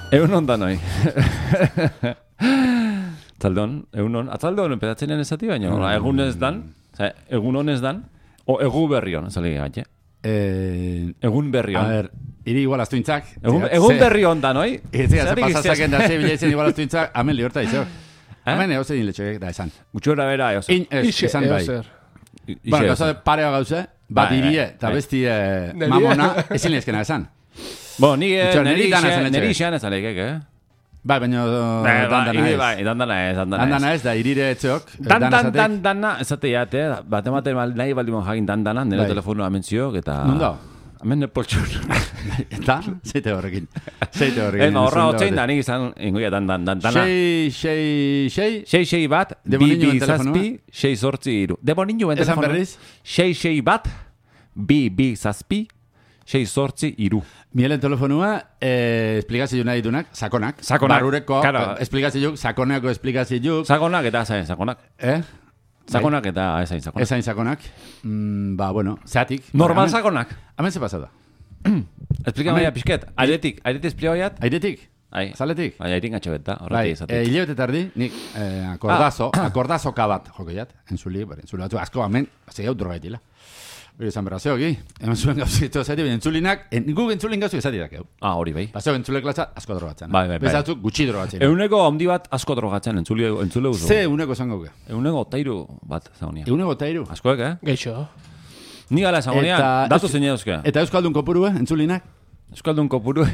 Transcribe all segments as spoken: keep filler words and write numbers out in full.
Egun ondan hoi. Atzaldon, egun on. Atzaldon, pedatzen ez ati baina, egun ez dan, egun on ez dan, o egu berri hon, ez alegi gaitxe. Egun berri hon. A ver, iri igual aztuintzak. Egun berri hon dan, hoi? Ez ze pasazaken da, ze bilatzen igual aztuintzak, hemen liorta izok. Hemen egoze din letxoek da esan. Gutxora bera, eozer. In, ez, esan bai. Bueno, gauza parea gauze, bat irie, eta besti mamona, ezin lezkena esan. Bo, niri xean ez alegek, eh? Bai, baina dandana ez. Bai, dandana ez, dandana ez. Dandana ez, da irire etxok. Dan, dan, dan, dana, ez ate jate, bat ematen nahi baldimon jagin dandana, nire telefonoa amentzioak, eta... Nundo? Hemen nepoltxur. Eta, zeite horrekin. Zeite horrekin. Ema, horra hotzein da, nik izan, ingoia, dan, dan, dan, dana. Sei, sei, sei? Sei, sei bat, bi, bi, zazpi, sei, sortzi, iru. Demoninu ben telefonoa. Esan berriz? Sei, sei bat, bi, bi, zazpi, sei, sortzi, iru. Mielen telefonua, eh, esplikazio nahi dunak, sakonak. Sakonak. Barureko, claro. esplikazio, sakonako esplikazio. Sakonak eta zain, sakonak. Eh? Sakonak eta ezain sakonak. Ezain sakonak. Mm, ba, bueno, zeatik. Normal sakonak. Hemen ze pasada. Explika maia pixket. Airetik, airetik esplika baiat? Airetik? Ai. Zaletik? Bai, airin gatxe beta, Bai, horretik izatik. eh, hilabete tardi, nik eh, akordazo, akordazo kabat, jokeiat, entzuli, bari, entzuli batzu, asko amen, zei hau drogaitila. Hori esan berra zeoki, hemen zuen gauzitu zati, baina entzulinak, guk entzulin gauzu izati dakeu. Ah, hori bai. Baseo entzule klatza, asko drogatzen. Bai, bai, bai. Bezatzu, gutxi drogatzen. Euneko handi bat asko drogatzen, entzule, entzule uzu. Ze euneko zango ge? Euneko otairu bat zagonia. Euneko otairu? Askoek, eh? Geixo. Ni gala zagonia, datu zein euskera. Eta Euskaldun kopurue, entzulinak? Euskaldun kopuru.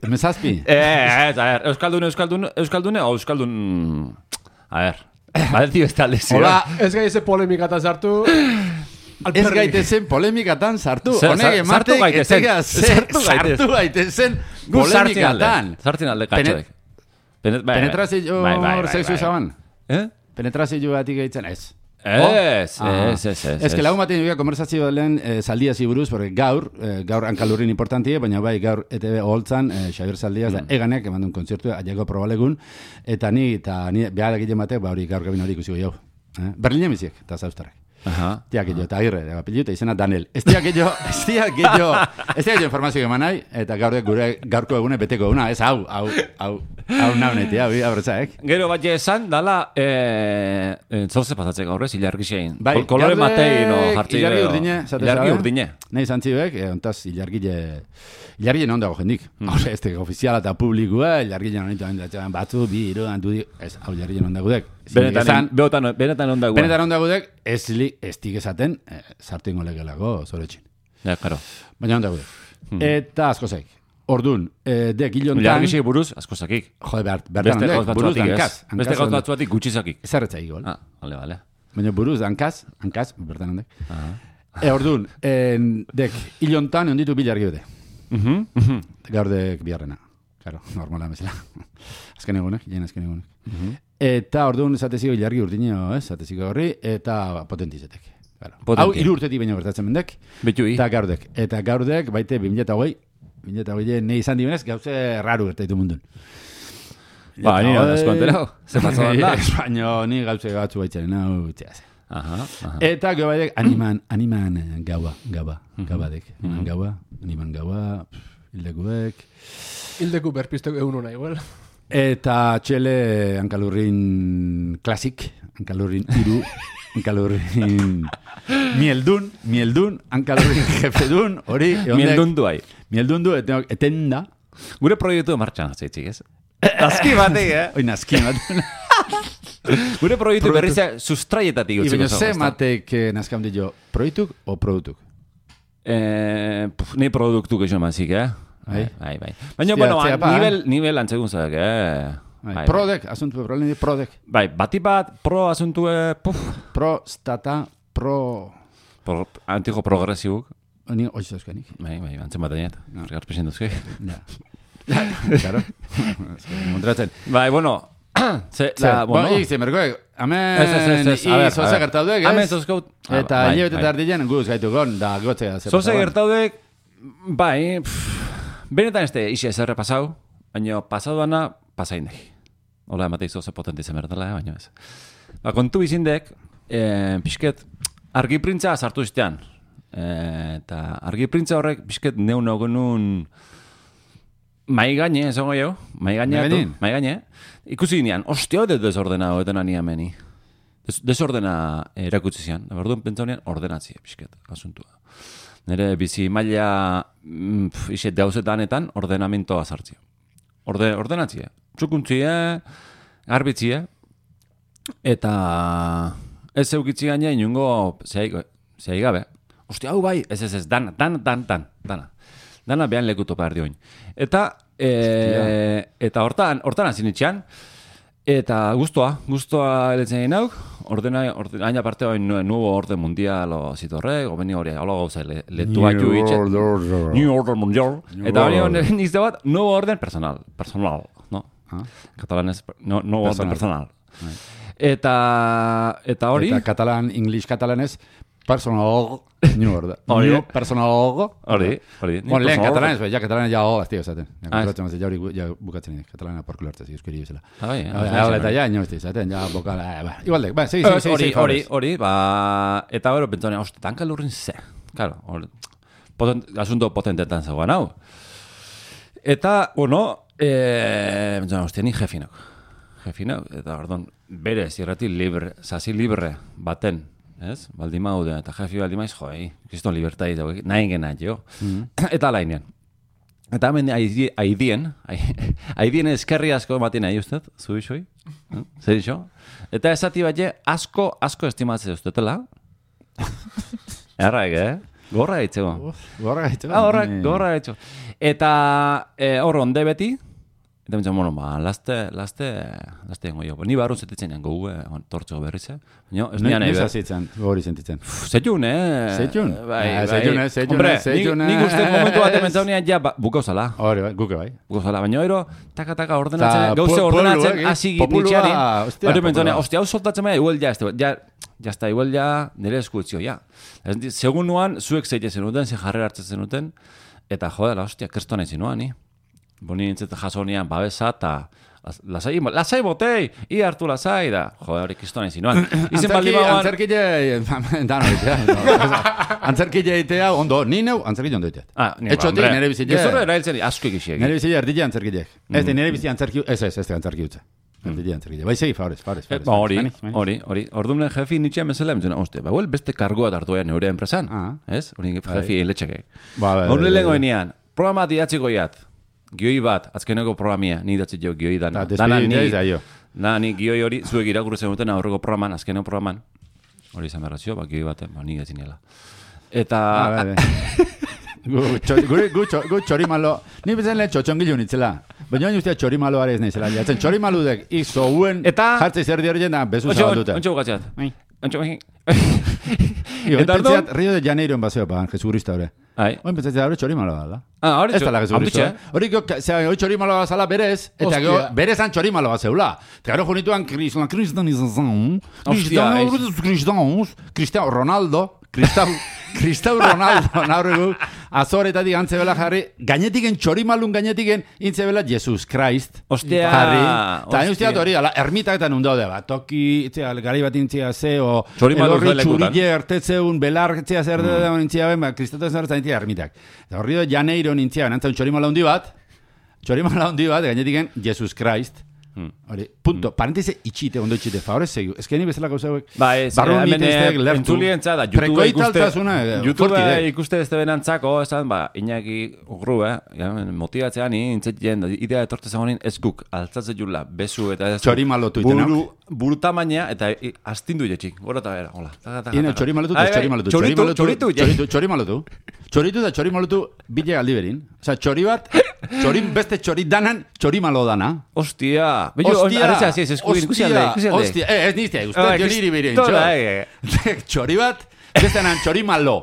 Mezazpi? Eh, ez, a ver, Euskaldun, Euskaldun, Euskaldune, o Euskaldun... A ver, badetio ez talde zio. Hola, ez gai eze polemikata sartu... Ez gaitezen polemikatan sartu. Honek ematek etega sartu gaitezen polemikatan. Sartzen alde katxoek. Penetrazio hor sexu zaban? Eh? Penetrazio batik gaitzen ez. Ez, ez, ez, ez. Ez que lagun batean jogia konversazio lehen zaldia ziburuz, porque gaur, gaur hankalurrin importantie, baina bai gaur E T B oholtzan, Xabier Zaldiaz, da eganek eman duen kontzertu, aiako probalegun, eta ni, eta ni behar egiten batek, ba hori gaur gabin hori ikusiko jau. Berlinen biziek, eta zauztarrak. Aha. Tiak jo, eta agirre, da apellido, izena Daniel. Ez tiak jo, ez tiak jo, ez tiak jo informazio eman nahi, eta gaur gure gaurko egune beteko eguna, ez hau, hau, hau, hau naunetia, hau, abertzaek. Gero bat esan, dala, zauze pasatzek gaurrez, ilargi xein. Kolore matei, no, jartzi. Ilargi urdine, ilargi urdine. Nahi zantziuek, ontaz, ilargile, ilargile non dago jendik. Hore, ez teko ofiziala eta publikua, ilargile non ditu, batzu, bi, iru, antu di, ez, hau ilargile non dagudek. Benetan, benetan on dagudek. Benetan on dagudek, ez li, ez tik esaten, sartu ingo legelako, zoretxin. Ja, karo. Baina on dagudek. Eta asko zaik. Ordun, dek hilontan... Ilargixi buruz, asko zakik. Jode, bertan ondek, buruz dankaz. Beste gauz batzuatik gutxi zakik. Ez arretza igol. Ah, vale, vale. Baina buruz dankaz, hankaz, bertan ondek. E, ordun, dek hilontan onditu bilargi bete. Gaur dek biharrena. Claro, normala bezala. Azken egunek, jen azken egunek. Eta orduan esateziko ilargi urdineo, ez, esateziko horri, eta potentizetek. Hau hiru urtetik baino bertatzen mendek. Betui. Eta gaurdek. Eta gaurdek, baite, bi mila eta hogei, bi mila eta hogei nahi izan dibenez, gauze raru gertaitu mundun. Ba, nire asko anterau. Ze pasaban da. Baina ni gauze batzu baitzaren, hau, txeaz. Aha, aha. Eta gau baidek, animan, animan gaua, gaua, gaubadek. Animan gaua, animan gaua, hildekuek. Hildeku berpizteko egun hona igual. Eta txele hankalurrin klasik, hankalurrin iru, hankalurrin mieldun, mieldun, hankalurrin jefedun, hori... Mieldun du hai. Mieldun du, etenda. Gure proiektu martxan hatzeitzik, ez? Nazki batek, eh? Oi, nazki batek. Gure proiektu berrizea sustraietatik utziko. Ibaino ze matek nazkam dio, proiektuk o produktuk? Nei produktuk esan mazik, eh? Bai, bai, bai. Baina, bueno, nivel, nivel antzegun zak, eh? Prodek, asuntu, problemi di prodek. Bai, bati bat, pro asuntue, puf. Pro, stata, pro... Antiko progresibuk. Ni, oiz euskanik. Bai, bai, antzen bat ainet. Argar presentuzke. Ja. Claro. Montratzen. Bai, bueno... Ze, la, bueno... Bueno, ikze, merkoek, amen, izoze gertaudek, ez? Amen, zozkaut. Eta hilabete tardien guz gaitu gon, da gotzea. Zoze gertaudek, bai... Benetan este isi ez errepasau, baina pasaduana pasaindek. Hola, emateiz oso potente izan berdela, baina ez. Ba, kontu bizindek, eh, pixket, argiprintza sartu iztean. Eh, eta argiprintza horrek, pixket, neun ogenun mai gaine, esango jau, mai gaine, mai gaine, ikusi ginean, ostia, de desordena hoetan ania meni. Des, desordena erakutsi zian, orduan pentsaunean ordenatzia, pixket, asuntua. Nere bizi maila mm, iset gauzetanetan ordenamentoa sartzia. Orde, ordenatzia, txukuntzia, garbitzia, eta ez eukitzi gaina inungo zehai gabe. Ostia, hau bai, ez ez ez, dana, dana, dana, dana, dana. Dana behan lekuto behar dioin. Eta, e, eta hortan, hortan hazin itxean, eta guztua, guztua eletzen egin hau, ordena, ordena, aina parte hori nuevo orden mundial o zitorre, gobeni hori, hola gauza, le, letu haitu itxet. New Order Mundial. Eta hori hori nizte bat, nuevo orden personal, personal, no? Ah? Katalanez, no, nuevo orden personal. Eta, eta hori... Eta katalan, English katalanez, personal, new order. New personal. Hori, hori. Bueno, lehen katalanez, ja katalanez ja hor, aztio, zaten. Ja hori ja bukatzen dira, katalana porkulo hartzez, euskeri bezala. Ah, bai, eta ja, ino ez zaten, ja bokala, igualde, ba, segi, segi, segi, hori, hori, ba, eta hori, pentsone, hoste, tanka lurrin ze. Claro, hori, asunto potentetan zegoen hau. Eta, bueno, eh, pentsone, hoste, ni jefinok. Jefinok, eta, ordon, bere, zirrati libre, zazi libre baten, ez? Baldimau da, eta jefi baldimaiz, jo, ei, kriston libertai da, nahi gena, jo. Mm-hmm. Eta alainen. Eta hemen haidien, haidien eskerri asko ematen nahi ustez, zu isoi, zer iso? Eta esati bat asko, asko estimatzea ustetela. Erraik, eh? Gorra gaitzeko. Gorra gaitzeko. Ah, gorra, gorra gaitzeko. Eta hor onde beti, eta bintzen, bueno, ba, laste, laste, laste dengo jo. Ni barru zetetzen jango gue, tortxo berrize. No, ez nian ebe. Nesa zitzen, gori sentitzen. Zetxun, eh? Zetxun? Bai, bai. Zetxun, eh? Zetxun, Hombre, zetxun, eh? nik uste momentu bat ementzaunean ja bukauzala. Hori, bai, guke bai. Bukauzala, baina ero, taka-taka ordenatzen, gauze ordenatzen, hasi gitnitxeanin. Hori ementzaunean, ostia, hau soltatzen maia, igual ja, ja, ja, está, igual ja, nire eskuetzio, ja. Segun nuan, zuek zeite zenuten, ze jarrera hartzen zenuten, eta jodela, ostia, kersto nahi zinuan, ni. Boni nintzete jasonian babesa eta lasai, lasai botei, i hartu lasai da. Joder, hori kristo nahi zinuan. Izen baldi bauan... Antzerkile, dan hori, antzerkile itea, ondo, ni neu, antzerkile ondo itea. Ah, ni Etxotik, nire bizile... Gezurra erailtzen asko egixiek. Nire bizile erdile antzerkile. Ez, nire bizile antzerkile, ez, ez, ez, antzerkile utza. Erdile antzerkile. Bai, segi, favorez, favorez. Hori, hori, hori. Orduan jefi nitxea mesela, emtzuna, oste, ba, huel beste kargoa hartu ean neure enpresan. Ez? Hori jefi eiletxeke. Hori lehenko enean, programa diatziko iat. Gioi bat, azkeneko programia, ni datzi jo gioi dana. Dana ni, da, ni gioi hori, zuek irakurri zenuten aurreko programan, azkeneko programan. Hori izan berrazio, ba, gioi baten, ba, ni gatzinela. Eta... Gu txorimalo, ni bezen lehen txotxongilu nitzela. Baina hori ustea txorimalo arez nizela. Jatzen txorimalo dek, izo uen, jartzei zer diori jena, bezu zabaldute. Ontxo bukatzeat. Ontxo bukatzeat. Eta pentseat, Rio de Janeiro en baseo pagan, jesucrista hori. Oin pentsatzea, hori txorimalo da. Ah, hori txorimalo. Hori txorimalo bazala berez, eta gero berezan txorimalo bazeula. Eta gero junituan kristan, kristan izan, kristan, kristan, Ronaldo, Kristau, Kristau Ronaldo, naurregu, azoretatik antzebela jarri, gainetiken txorimalun gainetiken intzebela Jesus Christ. Ostia, jarri. Eta hain usteat hori, ermitaketan undo de bat, toki, itzea, gari bat intzia ze, o elorri txurille ertetzeun, belar, itzea zer de da intzia ben, kristatu zer zain intzia ermitak. Eta horri do Janeiro nintzia, nantzaun txorimala hundi bat, txorimala hundi bat, gainetiken Jesus Christ. Hori, punto, parentese itxite, ondo itxite, favorez segu. Ez que ni bezala gauza hauek. Ba, ez, hemen entzulientza da, YouTube ikuste ez benantzako, esan, ba, Iñaki ugru, eh, motibatzean, intzetien, idea etorte zagonin, ez guk, altzatzen jula, bezu, eta ez... Txorimalotu itenak. Buru tamaina, eta astindu jetxik, gora eta bera, hola. Ino, txorimalotu, txorimalotu, txorimalotu, txorimalotu, txoritu da txorimalotu, bile galdi berin. Osa, txori bat, txorin beste txori danan, txorimalo dana. Ostia, Ostia, ostia, ostia, ez niztia, uste dio niri birin, txori bat, bestenan txori malo.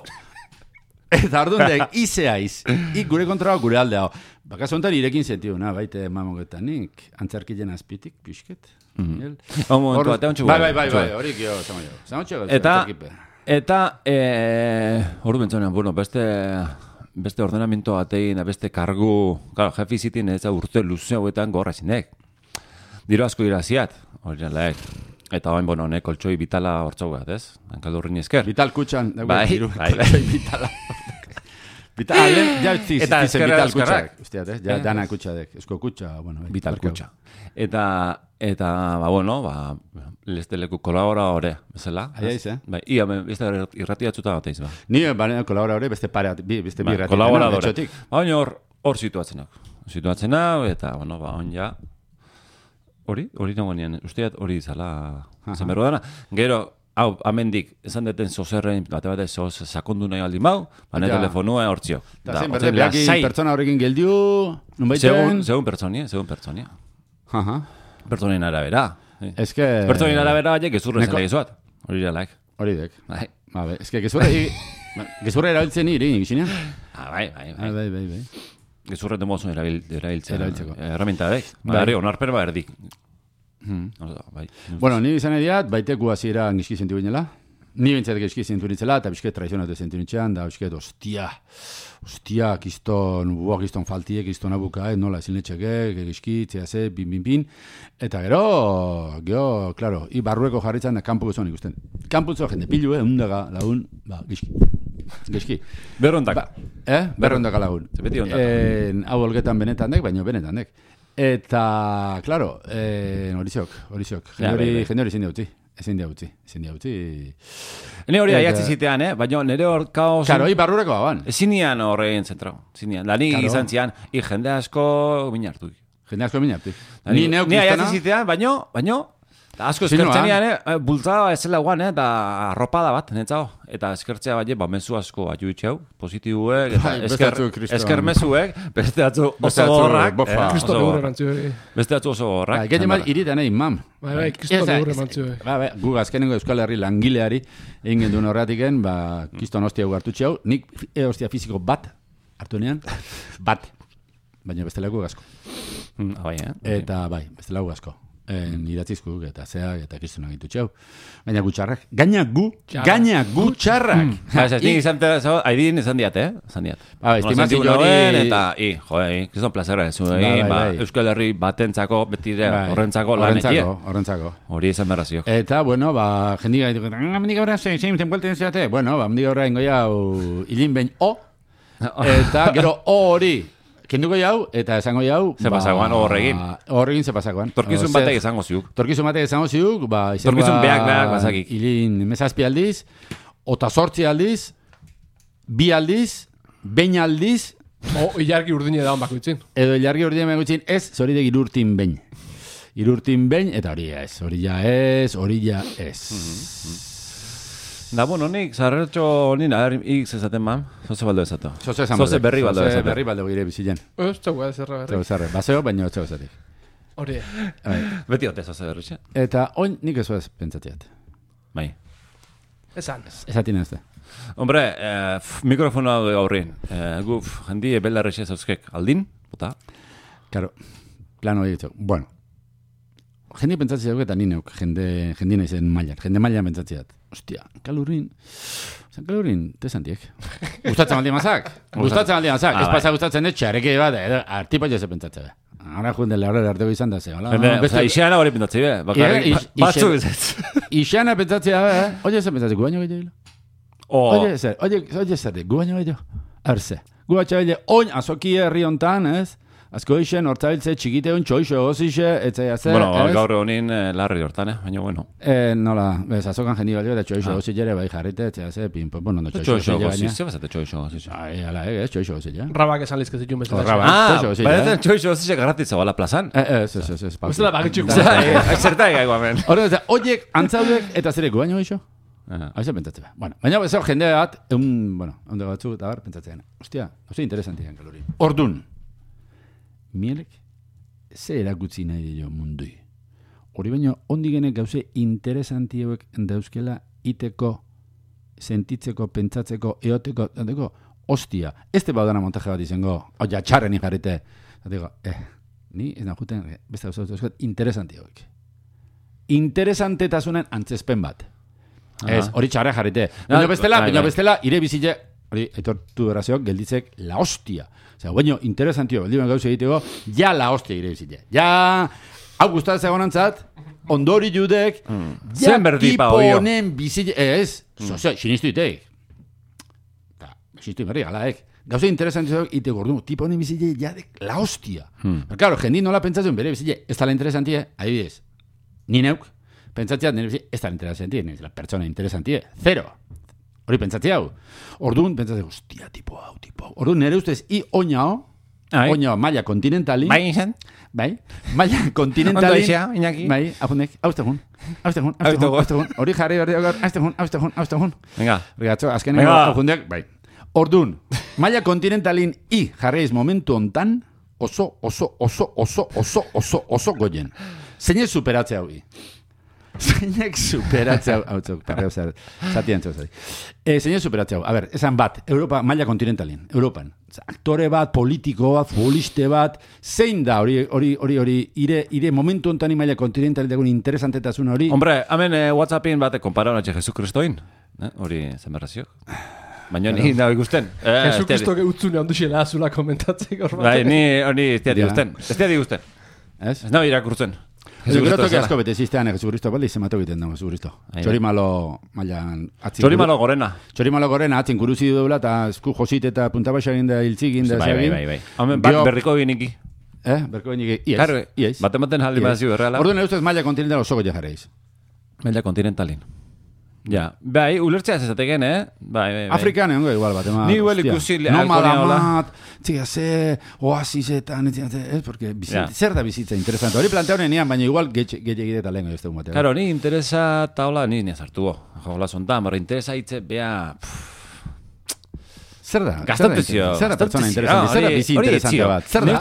Eta ordundek, izeaiz, ik gure kontrola gure aldea. Bakaz ontan irekin zentiu, na, baite mamogetanik, antzarkilen azpitik, pixket. Bai, bai, bai, bai, horik jo, zamo jo. Eta, eta, hori bentzonean, bueno, beste... beste ordenamiento batein, beste kargu, claro, jefi zitin ez da urte luze hauetan gorra zinek. Diro asko iraziat, hori nalaek. Eta hain, bueno, ne, koltsoi bitala hortzau bat, ez? Hankaldurrin esker. Vital kutxan, bai, bai, bai. Vitala. Vital, ja utzi Eta existitzen eskerra- vital eskerrak. kutxak. Usteat, eh? Ja, dana kutxadek. Esko kutxa, bueno. bai, Vital barkau. kutxa. Eta, eta, ba, bueno, ba, leste leku kolaboradore, bezala. Aia iz, eh? Bai, ia, beste irratiatzuta bateiz, ba. Ni, bane, kolaboradore, beste pare, bi, beste bi Bai, ratitena, kolaboradore. etxotik. Ba, baina hor, hor situatzenak. Situatzenak, eta, bueno, ba, on ja, hori, hori nago nien, usteat hori izala, zen berro dana. Gero, hau, amendik, esan deten zozerrein, bate bate zoz, sakondu nahi aldi mau, bane Ja. telefonua hortzio. Eta zen, berde, behakin pertsona horrekin geldiu, nun baiten. Segun, segun pertsonia, segun pertsonia. Aha. Pertsonien arabera. Ez que... Pertsonien arabera, baina, gezurre Neko- zela gezuat. Hori iralaik. Hori dek. Bai. Ba, be, ez que gezurra, gezurra erabiltzen niri, gixinean. Ah, bai, bai, Ah, bai. bai, bai, bai. Gezurre demozun erabil, erabiltzea. Erabiltzeko. Herramienta dek. Bai. Ba, herri, onarper ba erdik. Hmm. Oso, bai. Bueno, ni izan ediat, baiteku hasiera gizki zentu binela. Ni bintzat gizki zentu nintzela, eta bizket traizionatu zentu nintzean, da bizket, ostia, ostia, kiston, buak kiston faltie, kiston abuka, eh, nola ezin letxeke, gizki, txeaze, bin, bin, bin. Eta gero, gero, klaro, i barrueko jarritzen da kanpo gizon ikusten. Kanpo zo jende pilu, eh, undaga lagun, ba, gizki. Gizki. Berrondak. Ba, eh? Berrondaka lagun. Ze beti ondaka. Eh, hau olgetan benetan dek, baina benetan dek. Eta, klaro, eh, horiziok, horiziok. Ja, Jende hori, bai, bai. jende hori ezin utzi. Ezin dia utzi, ezin dia utzi. Ni hori Eta- aiatzi zitean, eh? Baina nire hor kaos... Karo, hi barrureko baban. Ezinian horrein zentrau. Ezinian. Da, ni Claro. izan zian, i jende asko minartu. Jende asko minartu. Da, Ni neuk Ni aiatzi kristana, zitean, baino, baino, da asko Zinoan. eskertzenian, eh? Bultzada ezela guan, eh? Da arropada bat, netzao. Eta eskertzea baina, ba, mezu asko aju itxeu, positibuek, eta Bai, beste esker, batzu kriston. esker mezuek, beste atzu Beste oso batzu, gorrak, bofa. eh, Kristo oso geure gorrak. mantzioi. Beste atzu oso gorrak. Bai, gehien bat iritan egin, mam. Bai, bai, kristo Ez da, geure ez- mantzioi. Ba, ba, gu azkenengo Euskal Herri langileari egin genduen horretiken, ba, kiston hostia gu hartu txau, nik e hostia fiziko bat hartu nean, bat. Baina bestela gu asko. Mm, bai, eh? Eta bai, bestela gu asko. En idatzizkuk eta zeak eta kristonak gitu txau. Gaina gutxarrak. Gaina gu, Txarrak. gaina gutxarrak. Ba, ez nik izan, tera- aidin izan diat, eh? Izan diat. Ba, estimazio Nola hori- sentitu nauen, eta, i, jo, i, kriston plazera ez Bai, bai, ba, bai. Euskal Herri batentzako, betire, Bai, horrentzako lan ekie. Horrentzako, horrentzako. Hori izan berraziok. Eta, bueno, ba, jendik gaitu, ah, mendik aurrean zein, zein, tenpuelten zeate. Bueno, ba, mendik aurrean goi hau, hilin behin o, eta gero o hori, kenduko jau, eta esango jau, Ze pasagoan, o horregin. Horregin ze pasagoan. Torkizun O, batek zer- izango ziuk. Torkizun batek izango ziuk, ba, izan Torkizun beak, beak, bazakik. Hilin mezazpi aldiz, ota sortzi aldiz, bi aldiz, behin aldiz, O, ilargi urdine daun bakoitzin. edo ilargi hori dien gutxin, ez, hori de irurtin behin. Irurtin behin, eta hori ez, hori ja ez, hori ja ez. Da, bueno, nik, zarretxo nina, x ezaten man, zoze baldo ezato. Zoze esan Zoze baldek. berri baldo Zoze ezaten. berri baldo gire bizilen. Ez, txau, zerra berri. Zeu zarre, baseo, baina zeu zatik. Hori. Beti ote zoze berri, xe? Eta oin nik ez ez pentsatiat. Bai. Esan. Esatin ez da. Hombre, eh, f- mikrofonoa gaurrin. Eh, gu, f- jendi belarrexe zauzkek aldin, bota? Karo, plan hori ditu. Bueno, jende pentsatzi dago eta ni neuk, jende, jende naizen mailan. Jende mailan pentsatziat. Ostia, kalurin, San kalurin, tesantiek. Gustatzen aldi mazak? Gustatzen aldi mazak. Ah, Ez bai. pasa gustatzen dut, txareke bat, edo, artipa jose pentsatzen. Ara junde laurera arteko izan da, ze. Hola, Jende, beste- oza, iseana hori pintatzi be, bakarrik, Ia, ba- is- batzu isen- ez. Ixana pentsatzea, eh? Oye, ze pentsatzen, gu baino gehiago. O, Oye, zer, oye, oye, zer, gu baino gehiago. Arze. Gu batxabile, oin azoki herri hontan, ez? Azko isen, hortzabiltze, txikite hon, txoixo, ozixe, etzaia zer, bueno, ez? gaur honin eh, larri hortan, eh? Baina, bueno. Eh, nola, bez, azokan jendi balio, eta txoixo, Ah. ozixe ere, bai jarrite, etzaia zer, pin, pues, bueno, no txoixo, Txoixo, ozixe gozi, baina. ze bazate txoixo, gozi. Ai, ala, eh, ez, txoixo, ozixe. Rabak esan lizke zituen bezala. Horra, bai. Ah, txoixo, gozi, baretzen eh? txoixo, gozi, garratitza bala plazan. Eh, eh, ez, ez, ez, ez, Bestela bakitxuk. Zertai gaigu hemen. Horre, eta, oiek, antzaudek, eta zere, gu baino gehiago? Ah. Haize pentsatzen. Bueno, baina ez jende bat, un, bueno, onde batzu eta bar pentsatzen. Ostia, oso interesantian kalori. Ordun. Mielek ze erakutsi nahi dio mundui. Hori baino ondigenek gauze interesanti hauek dauzkela iteko, sentitzeko, pentsatzeko, eoteko, dateko, ostia, este baudana montaje bat izango, oia, txarren ikarrite. Dateko, eh, ni ez najuten, beste gauza dauzkat, interesanti hauek. Interesantetasunen antzespen bat. Ez, hori txarra jarrite. Baina bestela, bai, baina bai. bestela, ire bizile, hori, aitortu berazioak, gelditzek la hostia. Osea, baina interesantio, beldimen gauza egiteko, ja la hostia ire bizile. Ja, hau gustatzen egonantzat, ondori judek, ja Zen berdi pa tipo oio. honen bizile, ez, sozio, sinistu itek. Ta, txistu berri, alaek. Gauza interesantiak ite gordu, tipo honi bizile jadek la hostia. Hmm. Pero claro, jendi nola pentsatzen bere bizile, ez tala interesantie, adibidez, ni neuk, pentsatziat nire bizile, ez tala interesantie, nire la pertsona interesantie, zero. Hori pentsatzi hau. Orduan, pentsatzen, hostia, tipo hau, tipo hau. Orduan, nire ustez, i oinao, oinao, maia kontinentalin. Bai, izan? Bai, maia kontinentalin. Ondo izia, Iñaki. Bai, apunek, hauztegun. Hauztegun, hauztegun, hauztegun. Hori jarri berdi gaur, hauztegun, hauztegun, hauztegun. Venga. Rigatxo, azkeneko, apundeak, bai. Orduan, maia kontinentalin i jarreiz momentu hontan, oso, oso, oso, oso, oso, oso, oso goien. Zeinek superatzea hori. Zeinek superatzea hau, txok, parreo zer, zatien txok, zari. E, zeinek superatzea hau, a ber, esan bat, Europa, maila kontinentalin, Europan. Aktore bat, politiko bat, futboliste bat, zein da hori, hori, hori, hori, ire, ire momentu hontan maila kontinentalin dagoen interesantetasuna hori. Hombre, hemen eh, WhatsAppin bat konpara honatxe Jesu Kristoin, hori eh, zemerraziok. Baina ni nahi ikusten. Jesu Kristo utzune handu xela azula komentatzeko. Bai, ni hori ez diat ikusten. Ez diat ikusten. Ez? Ez nahi irakurtzen. Jesu Kristo que asko bete zistean Jesu Kristo bali se mató egiten da Jesu Kristo. Txori malo mailan atzi. Txori malo gorena. Txori malo gorena atzin kuruzi dobla ta esku josit eta punta baixa egin da hiltzi egin da bai, bai, bai, bai. Hemen bat berriko eginiki. Eh, berriko eginiki. Ies. Claro, ies. Batematen jaldi bazio erreala. Orduan ustez maila kontinental oso goia jarreiz. Maila kontinentalin. Ja, bai, ulertzea zezateken, eh? Bai, bai, bai. Afrikan egongo igual bat, ema. Ni igual ikusi Nomada mat, txiga ze, oasisetan, ez, porque bizitza, zer da bizitza interesante. Hori planteaune nian, baina igual getxe egite eta lehenko ez dugu batean. Claro, ni interesa taula, ni ni azartuo. Jola zontan, barra interesa hitze, bea... Zer da? Gaztantezio. Zer da pertsona interesante? Zer da bizi interesante bat? Zer da?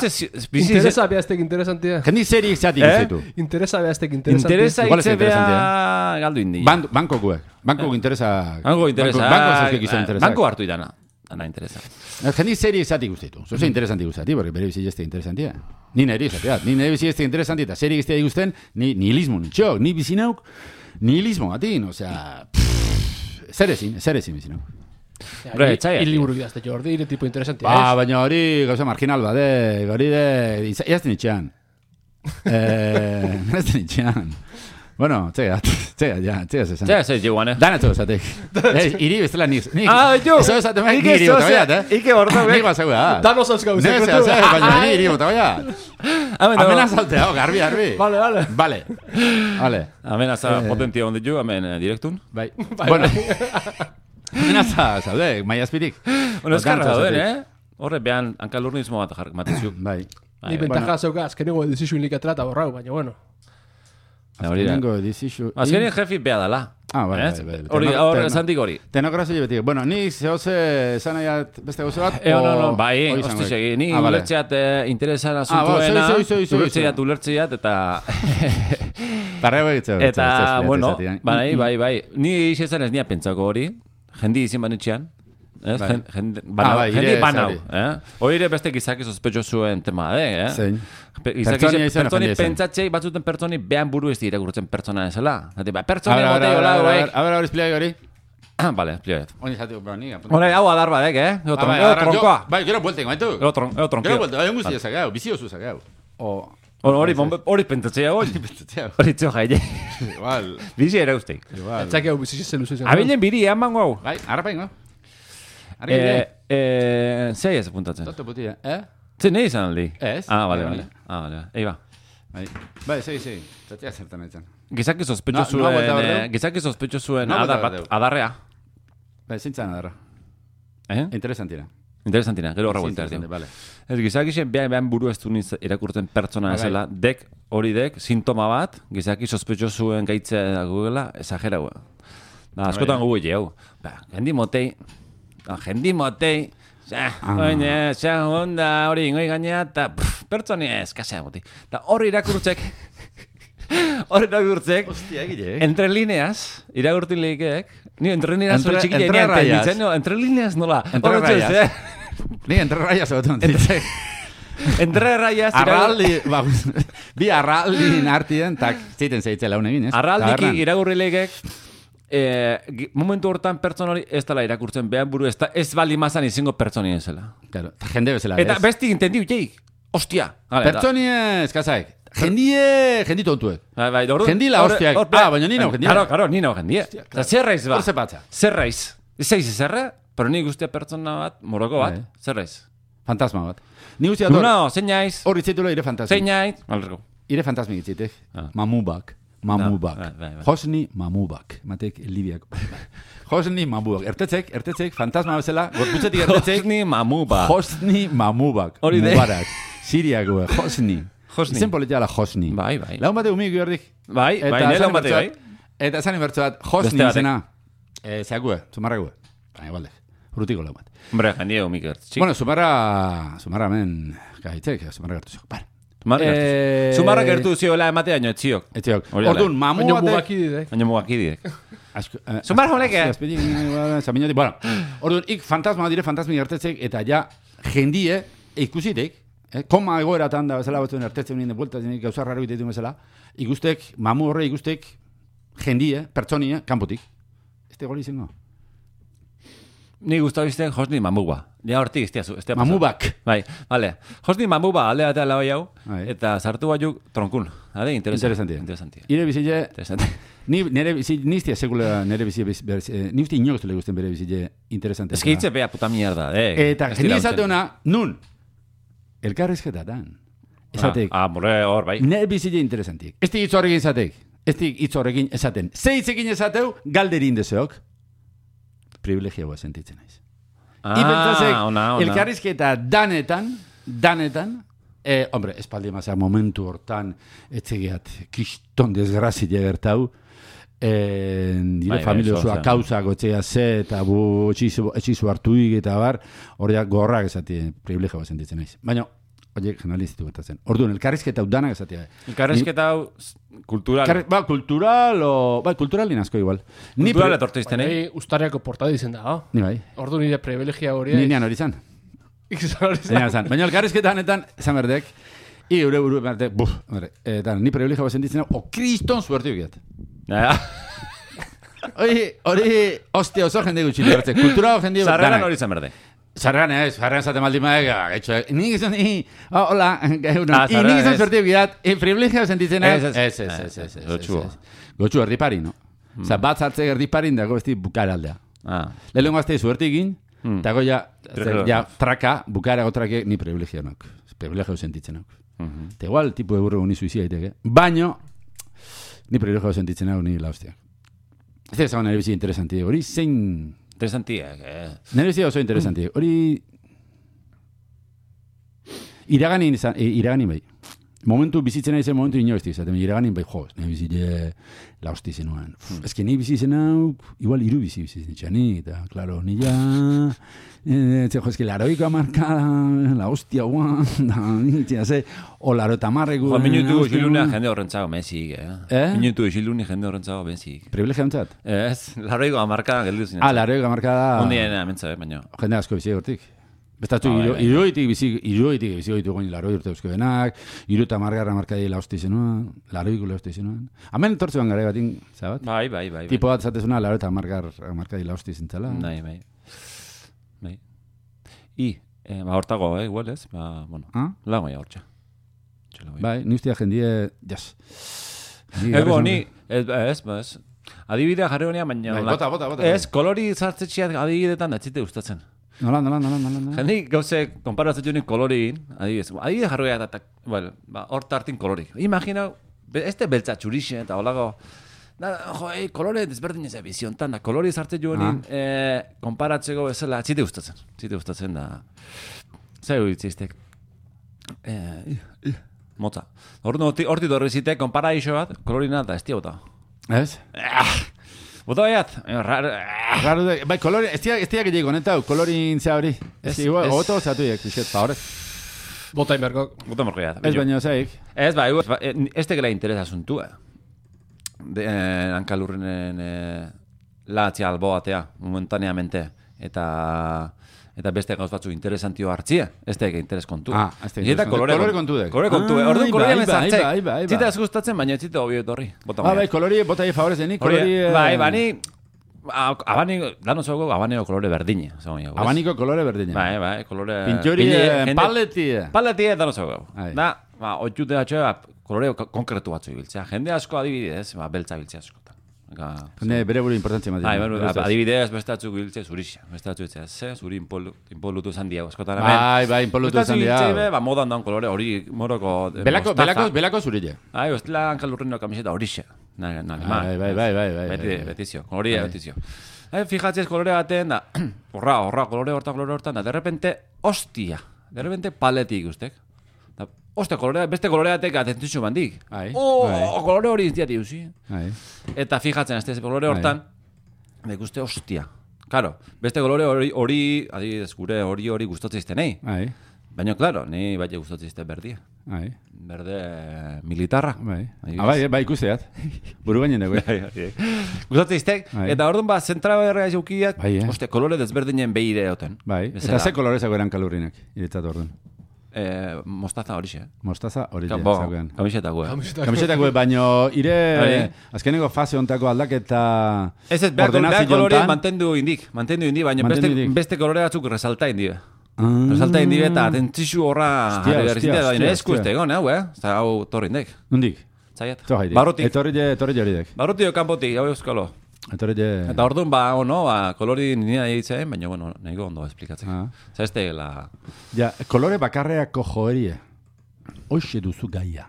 Interesa behaztek interesantia. Jendi zeri izatik izetu. Interesa behaztek interesantia. Interesa hitze bea galdu indi. Banko guek. Banko interesa... Banko interesa. Banko zuzkek izan interesa. Banko hartu idana. Ana interesa. Jendi zeri izatik guztetu. Zoze interesanti guztati, porque bere bizi jeste interesantia. Ni neri izateat. Ni neri bizi jeste interesantia eta zeri guztetik guzten, ni nihilismo nitxok. Ni bizi nauk nihilismo gatin. Osea... Zer ezin, zer ezin bizi nauk. Bre, il liburu idazte Jordi, ire tipo interesantia. Ba, baina hori gauza marginal bade, hori de... Iazten itxean. Eh, Iazten itxean. Bueno, txega, txega, ja, txega zezan. Txega zez, joan, eh? Danatu esatek. Iri bestela nik. Ah, jo! Eso esaten mek, iri bota baiat, eh? Ike bordo, nik basau da. Danos azkau, zeko tu. Baina ni iri bota baiat. Amena saltea, garbi, garbi. Vale, vale. Vale. Vale. Amena za potentia onde jo, amen direktun. Bai. Bueno. Amenaza, zaude, maia azpirik. Bueno, eskarra dauden, eh? Horre, behan, hankalurnismo bat jarrik matizuk. Bai. Ni bentaja zeuka, azkenengo edizizun likatra eta borrau, baina bueno. Azkenengo edizizun... Azkenien jefi beha dala. Ah, bai, bai. Hori, hori, zantik hori. Tenokrazio betik. Bueno, ni zehose zanaiat beste gozo bat, o... No, no, bai, hosti segi. Ni ulertzeat interesan asuntuena, ulertzeat, ulertzeat, eta... Parrego egitzeu. Eta, bueno, bai, bai, bai. Ni izan ez nia pentsako hori. Jendi izin banitxean. Jendi banau. Hori beste gizaki sospetxo zuen tema, eh? Zein. Pertsoni pentsatzei batzuten pertsoni behan buru ez dira gurtzen pertsona ezela. Pertsoni botei hola hauek. A ver, hori espliai hori. Vale, espliai. Hori jatiko, pero ni. Hori hau adar badek, eh? Ego tronkoa. Bai, gero buelten, gaitu. Ego tronkoa. Gero buelten, bai, unguzti ezagau, bizio zuzagau. Hori pentsatzea hori. Hori txo jaile. Igual. Bizi era usteik. Igual. Etxak egu bizi zen luzezen. Abilen biri, eman guau. Bai, harra paingo. Zei ez apuntatzen. Toto putia, eh? Zei nahi izan aldi? Ez. Ah, bale, bale. Ah, bale, ei ba. Bai, zei, zei. Zatea zertan etzen. Gizaki sospetxo zuen, gizaki sospetxo zuen adarrea. Bai, zintzan adarra. Eh? Interesantina. Interesantina, gero horra buelta erdi. Ez gizaki zen behan buru ez duniz irakurtzen pertsona ezela, dek, hori dek, sintoma bat, gizaki sospetxo zuen gaitzea gugela, exagera hua. Askotan gugu jau. Jendi motei, jendi motei, oine, xa honda hori ingoi gainea, eta pertsoni ez, kasea moti. Eta hori irakurtzek, hori irakurtzek, entre lineas, irakurtin lehikeek, ni entre lineas hori txikile enean, entre lineas nola, entre rayas. Ni entre rayas egoten ditzek. Entre rayas... Arraldi, bi arraldin artien, tak, ziten zeitzela unegin, ez? Arraldiki iragurri lehikeek, momentu hortan pertsona hori ez dela irakurtzen, behan buru ez, ez bali mazan izango pertsoni ezela. Claro, jende bezala, ez? Eta besti intendiu, jeik, ostia. Pertsoni ez, kazaik. Jendie, jendi tontuek. Bai, bai, ordu. Jendi la hostiak. Ah, baina nino jendie. Karo, karo, nino jendie. Zerraiz ba. Hor zepatza. Zerraiz. Zeiz zerra? Pero ni guztia pertsona bat, moroko bat, Bai. zer ez? Fantasma bat. Ni guztia dor, Luna, zein naiz, hor itzitula ire fantasmi. zein naiz, alergo. Ire fantasmi itzitek. Ah. Mamubak. Mamubak. Ah, bai, bai, bai. Hosni Mamubak. Matek Libiak. Hosni Mamubak. Ertetzek, ertetzek, fantasma bezala, gorputzetik ertetzek. Hosni Mamuba. Hosni Mamubak. Hori de. Mubarak. Siriako, Hosni. Hosni. Izen politia la Hosni. Bai, bai. Laun bate umik gerdik. Bai, bai, nire esan bate, bai. inbertsoat- Eta esan inbertso bat, Beste Hosni batek. izena. Eh, zeakue, zumarrague. Baina, igualde. Urrutiko laun bat. Hombre, jendie umik gertz, txik. Bueno, Zumarra, Zumarra men, gaitzek, Zumarra gertu zio. Bara. Zumarra gertu. Eh, Zumarra gertu zioela ematea, nio etziok. Etziok. Hori da. Orduan, mamu Baina batek... mugakididek. Baina mugakidek. Asko, eh, Zumarra honek, eh? azpedi, eh, zaminatik, bueno. Orduan, ik fantasma dire fantasmi gertetzek, eta ja, jendie, ikusitek, eh, koma egoeratan da bezala batzuen ertetzen nien de vuelta, gauza raro itetu bezala, ikustek, mamu horre ikustek, jendie, pertsonie, kanpotik. Este goli izango. Ni gustau izten Hosni Mamuba. Ja hortik, estia zu. estia pasatu. Mamubak. Bai, vale. Hosni Mamuba alde batea lau hau, Bai. eta sartu baiuk tronkun. Ade, interesantia. Interesantia. Interesantia. Ire bizile, Interesantia. ni nere bizi, niztia sekula nere bizi, ni uste inoz le gusten bere bizile interesante. Ez que hitze bea puta mierda, eh. Eta Ez jende dira izate usten. ona, nun, elkarrizketatan. Esatek, Ah, ah, more hor, bai. nere bizile interesantik. Ez hitz horrekin esatek, ez hitz horrekin esaten. Ze hitzekin esateu, galderin deseok, privilegiagoa sentitzen naiz. Ah, Ipentzasek, ona, ona. elkarrizketa danetan, danetan, eh, hombre, espaldi mazea momentu hortan, etzegiat, kiston desgrazia gertau, eh, dire Bai, bai, familia oso, osoa oso. kausak etxea ze, eta bu etxizu, etxizu hartuik eta bar, horiak gorrak esati, privilegio sentitzen naiz. Baina, horiek generalizitu gertatzen. Orduan, elkarrizketa hau danak esatia. Elkarrizketa hau kultural. Elkarri- Ba, kultural, o... Ba, kulturalin asko igual. Ni Kultural pre- etortu izten, eh? Baina ustariako portada izen da, oh? Ni bai. Ordu nire privilegia hori. Ni nean hori zan. Ikizan hori Baina, zan. Baina elkarrizketa honetan, esan berdek, i eure buru berdek, buf, hombre, eta ni privilegio sentitzen hau, o kriston suerte ukiat. Ja. Hori, hori, ostia oso jende gutxi libertze. Kultura jende Zarreran hori zen berde. Zarrean ez, zarrean zate maldi maek, gaitxo, ni gizon, ni, oh, hola, gauno, Ah, i zarrean ni gizon ez. suerte ukiat, e privilegio sentitzen hau, Ez, ez, ez. ez, ez, ez, ez, ez, Gotxua. ez. Gotxu erdipari, no? Osa, bat zartze erdiparin dago besti bukaraldea. Ah. Lehenengo azte suerte egin, Hmm. eta ja, Privilegio. ja, traka, bukara gotrake, ni privilegio nok. Privilegio sentitzen hau. Mhm. Eta igual, tipo eburro uni suizia daiteke. Baino, ni privilegio sentitzen hau, ni la hostia. Ez da esan nire bizi interesanti. Hori zein... Interesantiak, eh. Nire bizi oso interesanti. Hori... Iraganin izan, e, iraganin bai. Momentu bizitzen aizen momentu inoizti izaten. Iraganin bai, jo, nire bizile la hosti zenuen. Ez que nire bizi zen hau, igual iru bizi bizi zen txani, eta, klaro, nila... Eh, jo, ez que laroiko amarkada, la hostia guan, da, nintzia ze, o laro eta marreku... Jo, minutu isilunea jende horrentzago mezik, eh? Eh? Minutu isilunea jende horrentzago mezik. Privilegio ontzat? Ez, larroiko amarka geldu zinen. Ah, laroiko amarkada... Ondien amentza, eh, baina. Jende asko bizi hortik. Bestatu, Ah, bai, iro, bai. iroitik bizi, iroitik bizi goitu goin laro urte eusko benak, iru eta margarra markadi la hosti zenuen, laroiko la hosti zenuen. Hemen tortze ban gara batin, zabat? Bai, bai, bai. bai. Tipo bat zatezuna, laro eta margar, markadi la hosti zentzala. Bai, bai. Bai. I, eh, ba, hortago, eh, igual ez? Ba, bueno, Ah? lago ya hortxa. Txela, Bai, ni ustia jendie, jas. Ni Ego, garrison- ni, ez, ba, ez, ba, ez. Adibidea jarri honean, baina... Bai, hola- bota, bota, bota. Ez, kolori zartzetxiat adibidetan datzite gustatzen. Nola, nola, nola, nola, nola. Jende gauze, konparatzen joan koloriin, adibidez, adibide jarroia eta, bueno, ba, hor tartin kolorik. Imagina, be- este beltza txurixe eta holago, da, jo, ei, kolore desberdin ez biziontan, da, kolori zartzen joan, eh, konparatzeko bezala, txite gustatzen, txite gustatzen da, zer uitziztek, eh, motza. Horti horti dorri zitek, konpara iso bat, kolorina eta ez bota. Ez? Bota baiat, rar, Raro de, bai, kolori, ez tiak, ez tiak egin honetau, kolorin zea hori. Ez, Ez, igual, ez. ogoto zatu iek, bizet, favorez. Bota inberko. bota morkoiat. Ez baino zeik. Ez, ba, igual, ba, eh, ez tegela interesa asuntua. De, eh, hankalurrenen eh, latzia albo batea, momentaneamente. Eta eta beste gauz batzu interesantio hartzia, ez tege interes kontua. Ah, ez tege Eta interes kolore, kontua. Kolore kontu- kontudek. Kolore kontu. Ah, Orduan bai, kolorea bai, mezartzek. bai, bai, bai. Zita ez gustatzen, baina zita hobi etorri. Bota Ah, bai, maiat. kolori, bota hi favorez denik, Hori, kolori... eh, bai, bani, a- abani, dano zogo, abaneo kolore berdine. Abaniko kolore berdina. Bai, bai, kolore... Pintxori, Pile- eh, jende- paleti. Paleti eta no zogo. Ai. Da, ba, otxute batxoa, kolore ko- konkretu batzu ibiltzea. Jende asko adibidez, ba, beltza biltzea askotan. Ne, bere buru importantzia ematen. Bai, bueno, adibidez, beste batzuk biltze zurixa. Beste batzuk biltze, ze, zuri inpolu, inpolutu zan diago, eskotan hemen. Bai, bai, inpolutu zan diago. Ba, modan daun kolore hori, moroko Belako, belako, belako zurille. Bai, bestela hankalurrino kamiseta horixe. Bai, bai, bai, bai, bai. Beti, betizio, hori betizio. Fijatzez kolore baten, da, horra, horra, kolore horta, kolore hortan, da, derrepente, hostia, derrepente paletik ustek. Oste, kolorea, beste koloreatek atentitxu bandik. Oh, kolore hori iztiati usi. Eta fijatzen, ez kolore hortan, nik uste, ostia. Karo, beste kolore hori, hori, adibidez, gure hori hori gustatzen nahi. Baina, klaro, ni bai gustatzen izte berdia. Berde militarra. Bai, bai ikusteat. Buru gainen dugu. Gustatzen iztek, eta orduan ba, zentra berrea jaukiat, oste, kolore desberdinen behire oten. Bai, eta ze kolorezako eran kalurrinak, iretzat orduan. Eh, mostaza horixe. Mostaza horixe. Kamiseta gue. Kamiseta gue, baino ire... Azkeneko fase ontako aldaketa... Ez ez, behar kolore mantendu indik. Mantendu indik, baina beste kolore batzuk resalta indi. Resalta indi eta atentzixu horra... Hostia, hostia, hostia. Esku este egon, hau, eh? Eta hau torri indik. Nondik? Zaiat. Barrotik. Etorri joridek. Barrotik kanpotik, hau euskalo. Eta orduan, ba, ono, ba, kolori nina egiten, baina, bueno, nahiko ondo esplikatzen. Zer ez tegela... Ja, kolore bakarreako joerie. Hoxe duzu gaia.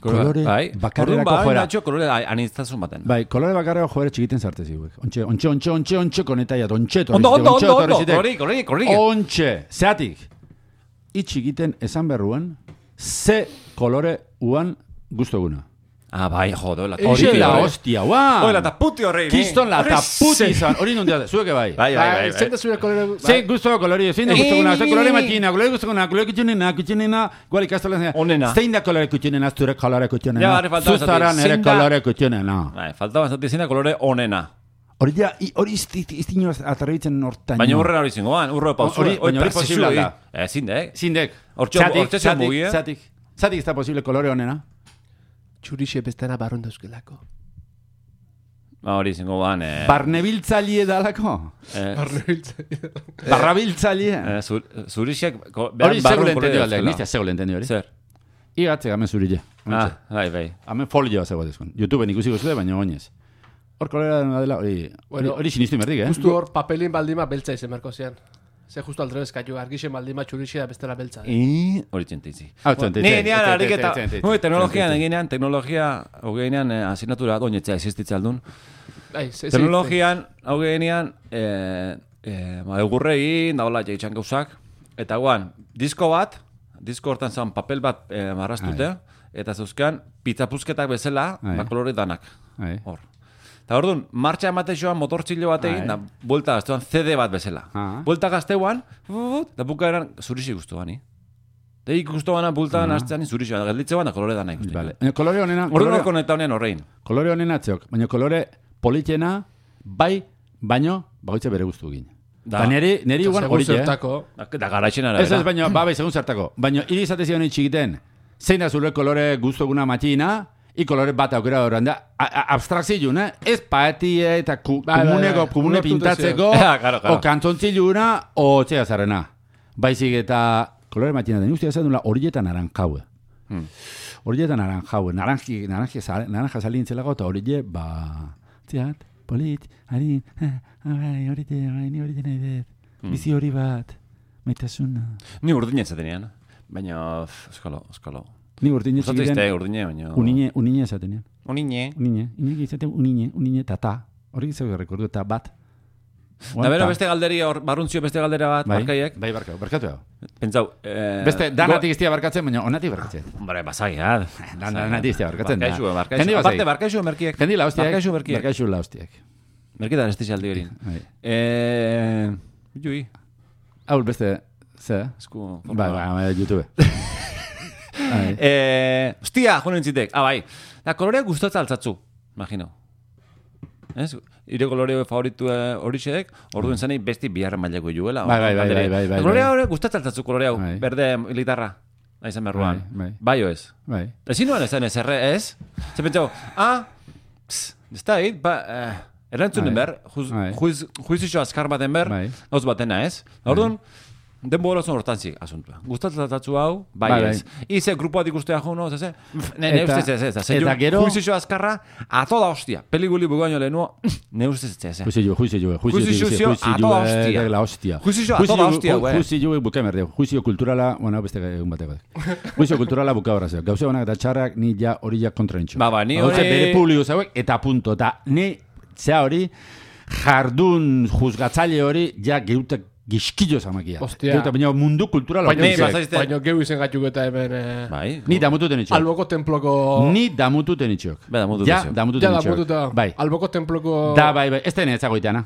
Kolore bakarreako joera. Kolore aniztazun baten. Bai, kolore bakarreako joera txikiten zartez iguek. Ontxe, ontxe, ontxe, ontxe, ontxe, konetaiat, ontxe, ondo, ondo, ondo, ondo, kolori, kolori, kolori. Ontxe, zeatik. Itxikiten esan berruan, ze kolore uan guztoguna. Ah, bai, jodo, la hori la hostia, guau. Hori la taputi horrein. Kiston la taputi izan. Hori nundia, zueke bai. Bai, bai, bai. Zein da zure kolore... Zein guztoko kolori, zein da guztokuna, zein kolore matina, kolore guztokuna, kolore kutxunena, kutxunena, guali kastola zein. Onena. Zein da kolore kutxunena, zure kolore kutxunena. Ja, hori faltaba zati. Zuzara nere kolore kutxunena. Bai, faltaba zati zein da kolore onena. Hori ja, hori iztino atarribitzen hortaino. Baina urren hori zingoan, urro pausu. Hori posible da. Zindek. Zindek. Hortxe mugie. Zatik, zatik ez da posible kolore onena. Txurixe bestena barron dauzkelako. Ba, hori zingo ban, eh... Barnebiltzalie dalako? Barnebiltzalie dalako. Barrabiltzalie? Zurixek... Hori segule entendio aldeak, niztia segule entendio hori. Zer? Igatze gamen zurille. Ah, bai, bai. Hamen folioa zego dezkon. YouTubeen ikusi guztule, baina oinez. Hor kolera dela, hori sinistu inberdik, eh? Justu hor papelin baldima beltza izen merko zian. Ze justu aldrebez kaiu, argixen baldima txurixe da bestela beltza. Hori txenteizi. Hau txenteizi. Ni, nian, ariketa. Teknologian eginean, teknologia, hogeinean, asignatura doinetzea existitza aldun. Teknologian, hogeinean, egurregin, daola jaitxan gauzak. Eta guan, disko bat, disko hortan zan papel bat marrastute, eta zeuzkan, pizzapuzketak bezala, bakolore danak. Hor. Eta orduan, martxa emate joan motortxillo batekin, da buelta gazteuan C D bat bezala. Buelta gazteuan, da buka eran zurixi guztuan, ni? Da ikustuan bultan hastean zurixi bat, gelditze ban da kolore dana ikusten. Kolore honena... Orduan koneta honen horrein. Kolore honena atzeok, baina kolore politena, bai, baino, bagoitze bere guztu egin. Da neri, neri igual hori, eh? Da garaixen arabera. Ez ez, baina, ba, bai, segun zertako. Baina, irizate zion txikiten, zein da zure kolore guztoguna matxina, I kolore bat aukera horren da, abstrakzilun, eh? Ez paetie eta komuneko, komune pintatzeko, o kantzontziluna, o txea zarrena. Baizik eta kolore matxina den ustia zen dula horietan naranjaue. Horietan naranjaue, naranja salintzelako eta horie, ba, txeat, polit, harin, horite, ni horite nahi dut, bizi hori bat, maitasuna. Ni urdinen zatenean, baina, eskalo, eskalo. Ni urdine txikiten... Zatizte urdine, baina... Unine, unine esatenean. Unine. Unine. Unine izaten unine, unine, tata. Horrek izan rekordu eta bat. Da bero beste galderi, barruntzio beste galdera bat, barkaiek. Bai, barkau, barkatu hau. Pentsau... Beste, danatik iztia barkatzen, baina onatik barkatzen. Bare, basai, ha. Danatik iztia barkatzen. Barkaixu, barkaixu. Aparte, barkaixu merkiek. Kendi la hostiak. Barkaixu merkiek. Barkaixu la hostiak. Merkitan ez tixaldi horin. Eh... Jui. Hau, beste... Ze? Esku... Bai, bai, YouTube. Eh, hostia, joan entzitek. Ah, bai. Da, kolorea gustotza altzatzu, imagino. Ez? Ire kolore favoritu horixek, orduen zanei besti biharra mailako juela. Bai, bai, bai, bai, bai. Kolorea gustotza altzatzu kolorea, berde militarra. Aizan berruan. Bai, oez. Bai. Ezin nuen esan ez, erre, ez? Zer pentsau, ah, ez da, hit, ba, erantzunen ber, juizixo azkar baten ber, gauz batena, ez? Orduen, denbora zon hortantzik asuntua. Gustatzatatzu hau, bai Bai, ez. Ize grupoat ikustea jo, no, zeze? Ne, ne Eta- ustez ez, ez. eta gero- Juizio azkarra, a toda hostia. Pelikuli bugaino lehenua, ne ustez ez, ez. Juizio, juizio, Juizio juizio, a toda hostia. la hostia. Juizio a toda hostia, güey. Juizio buka merdeu. Juizio kulturala, bueno, beste egun bateko. Juizio kulturala buka horrazio. Gauze honak eta txarrak ni ja hori ja kontra nintxo. Ba, ba, ni Gauze hori- bere publiko zauek eta punto. Eta ni, zea hori, jardun juzgatzaile hori ja geutek gizkillo zamakia. Hostia. Geutek, baina mundu kulturala. Baina, Ni, hori. bazaizte- baina geu izen gatuk eta hemen... Eh, Bai. Ni damututen itxok. alboko temploko... Ni damututen itxok. Ba, damututen Ja, itxok. damututen Ja da itxok. mututa. Bai. Alboko temploko... Da, bai, bai. Ez da ezagoiteana.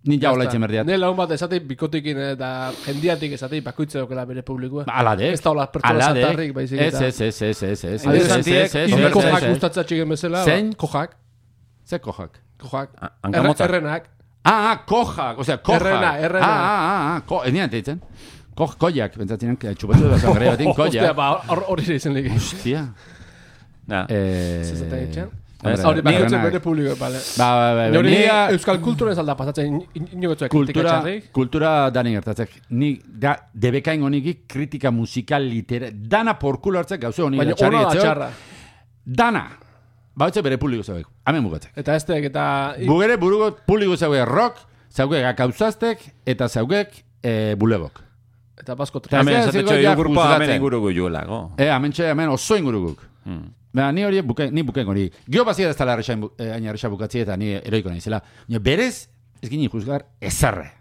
Ni ja hola itxen berdiat. Ne laun bat esatei bikotikin eta jendiatik esatei bakoitza dokela bere publikoa. Ala de. Ez da hola pertsona Ala de. zatarrik, baizik Ez, eta. ez, ez, ez, ez, ez. Adibidez, Ez, ez, Santiek, ez, ez, Hiri ez, kojak ez, ez. gustatzatxik bezala. Zein? ba, Kojak. Ze kojak? Kojak. A- hankamotzak. Erre- Errenak. Ah, ah, kojak, osea, kojak. Errena, errena. Ah, ah, ah, ko, ez nian teitzen. Koj, koiak, bentsatzen, txupatu da zangare batin, Hostia, koiak. ba, hor- hori izen lege. Hostia. Na. Eh, Zezaten etxean. hombre, Hori, bakoitzak errenak. bere publikoa, bale. Ba, ba, ba, ba, Hori ni- euskal kultura ez alda pasatzen inogotzuak kritika kultura, txarrik. kultura dani gertatzek. Ni, da, debekain honiki kritika musikal litera, dana porkulo hartzek gauze honi Baina txarri ona da etzeo. txarra. Dana. Bautze bere publiko zauek. Hemen bukatzek. Eta estek, eta... Bugere burugo publiko zauek rock, zaugek akauzaztek, eta zaugek eh, bulegok. Eta basko Eta Hemen, ez esate zego txo, ja hiru grupa hemen juzgatzen. inguruko juelako. Eh, hemen txe, hemen oso inguruguk. Hmm. Ba, ni hori buke, ni buken hori. Gio bazia ez tala errexain, eh, aina errexa bukatzi eta ni eroiko naizela. Baina berez, ez gini juzgar, ezarre.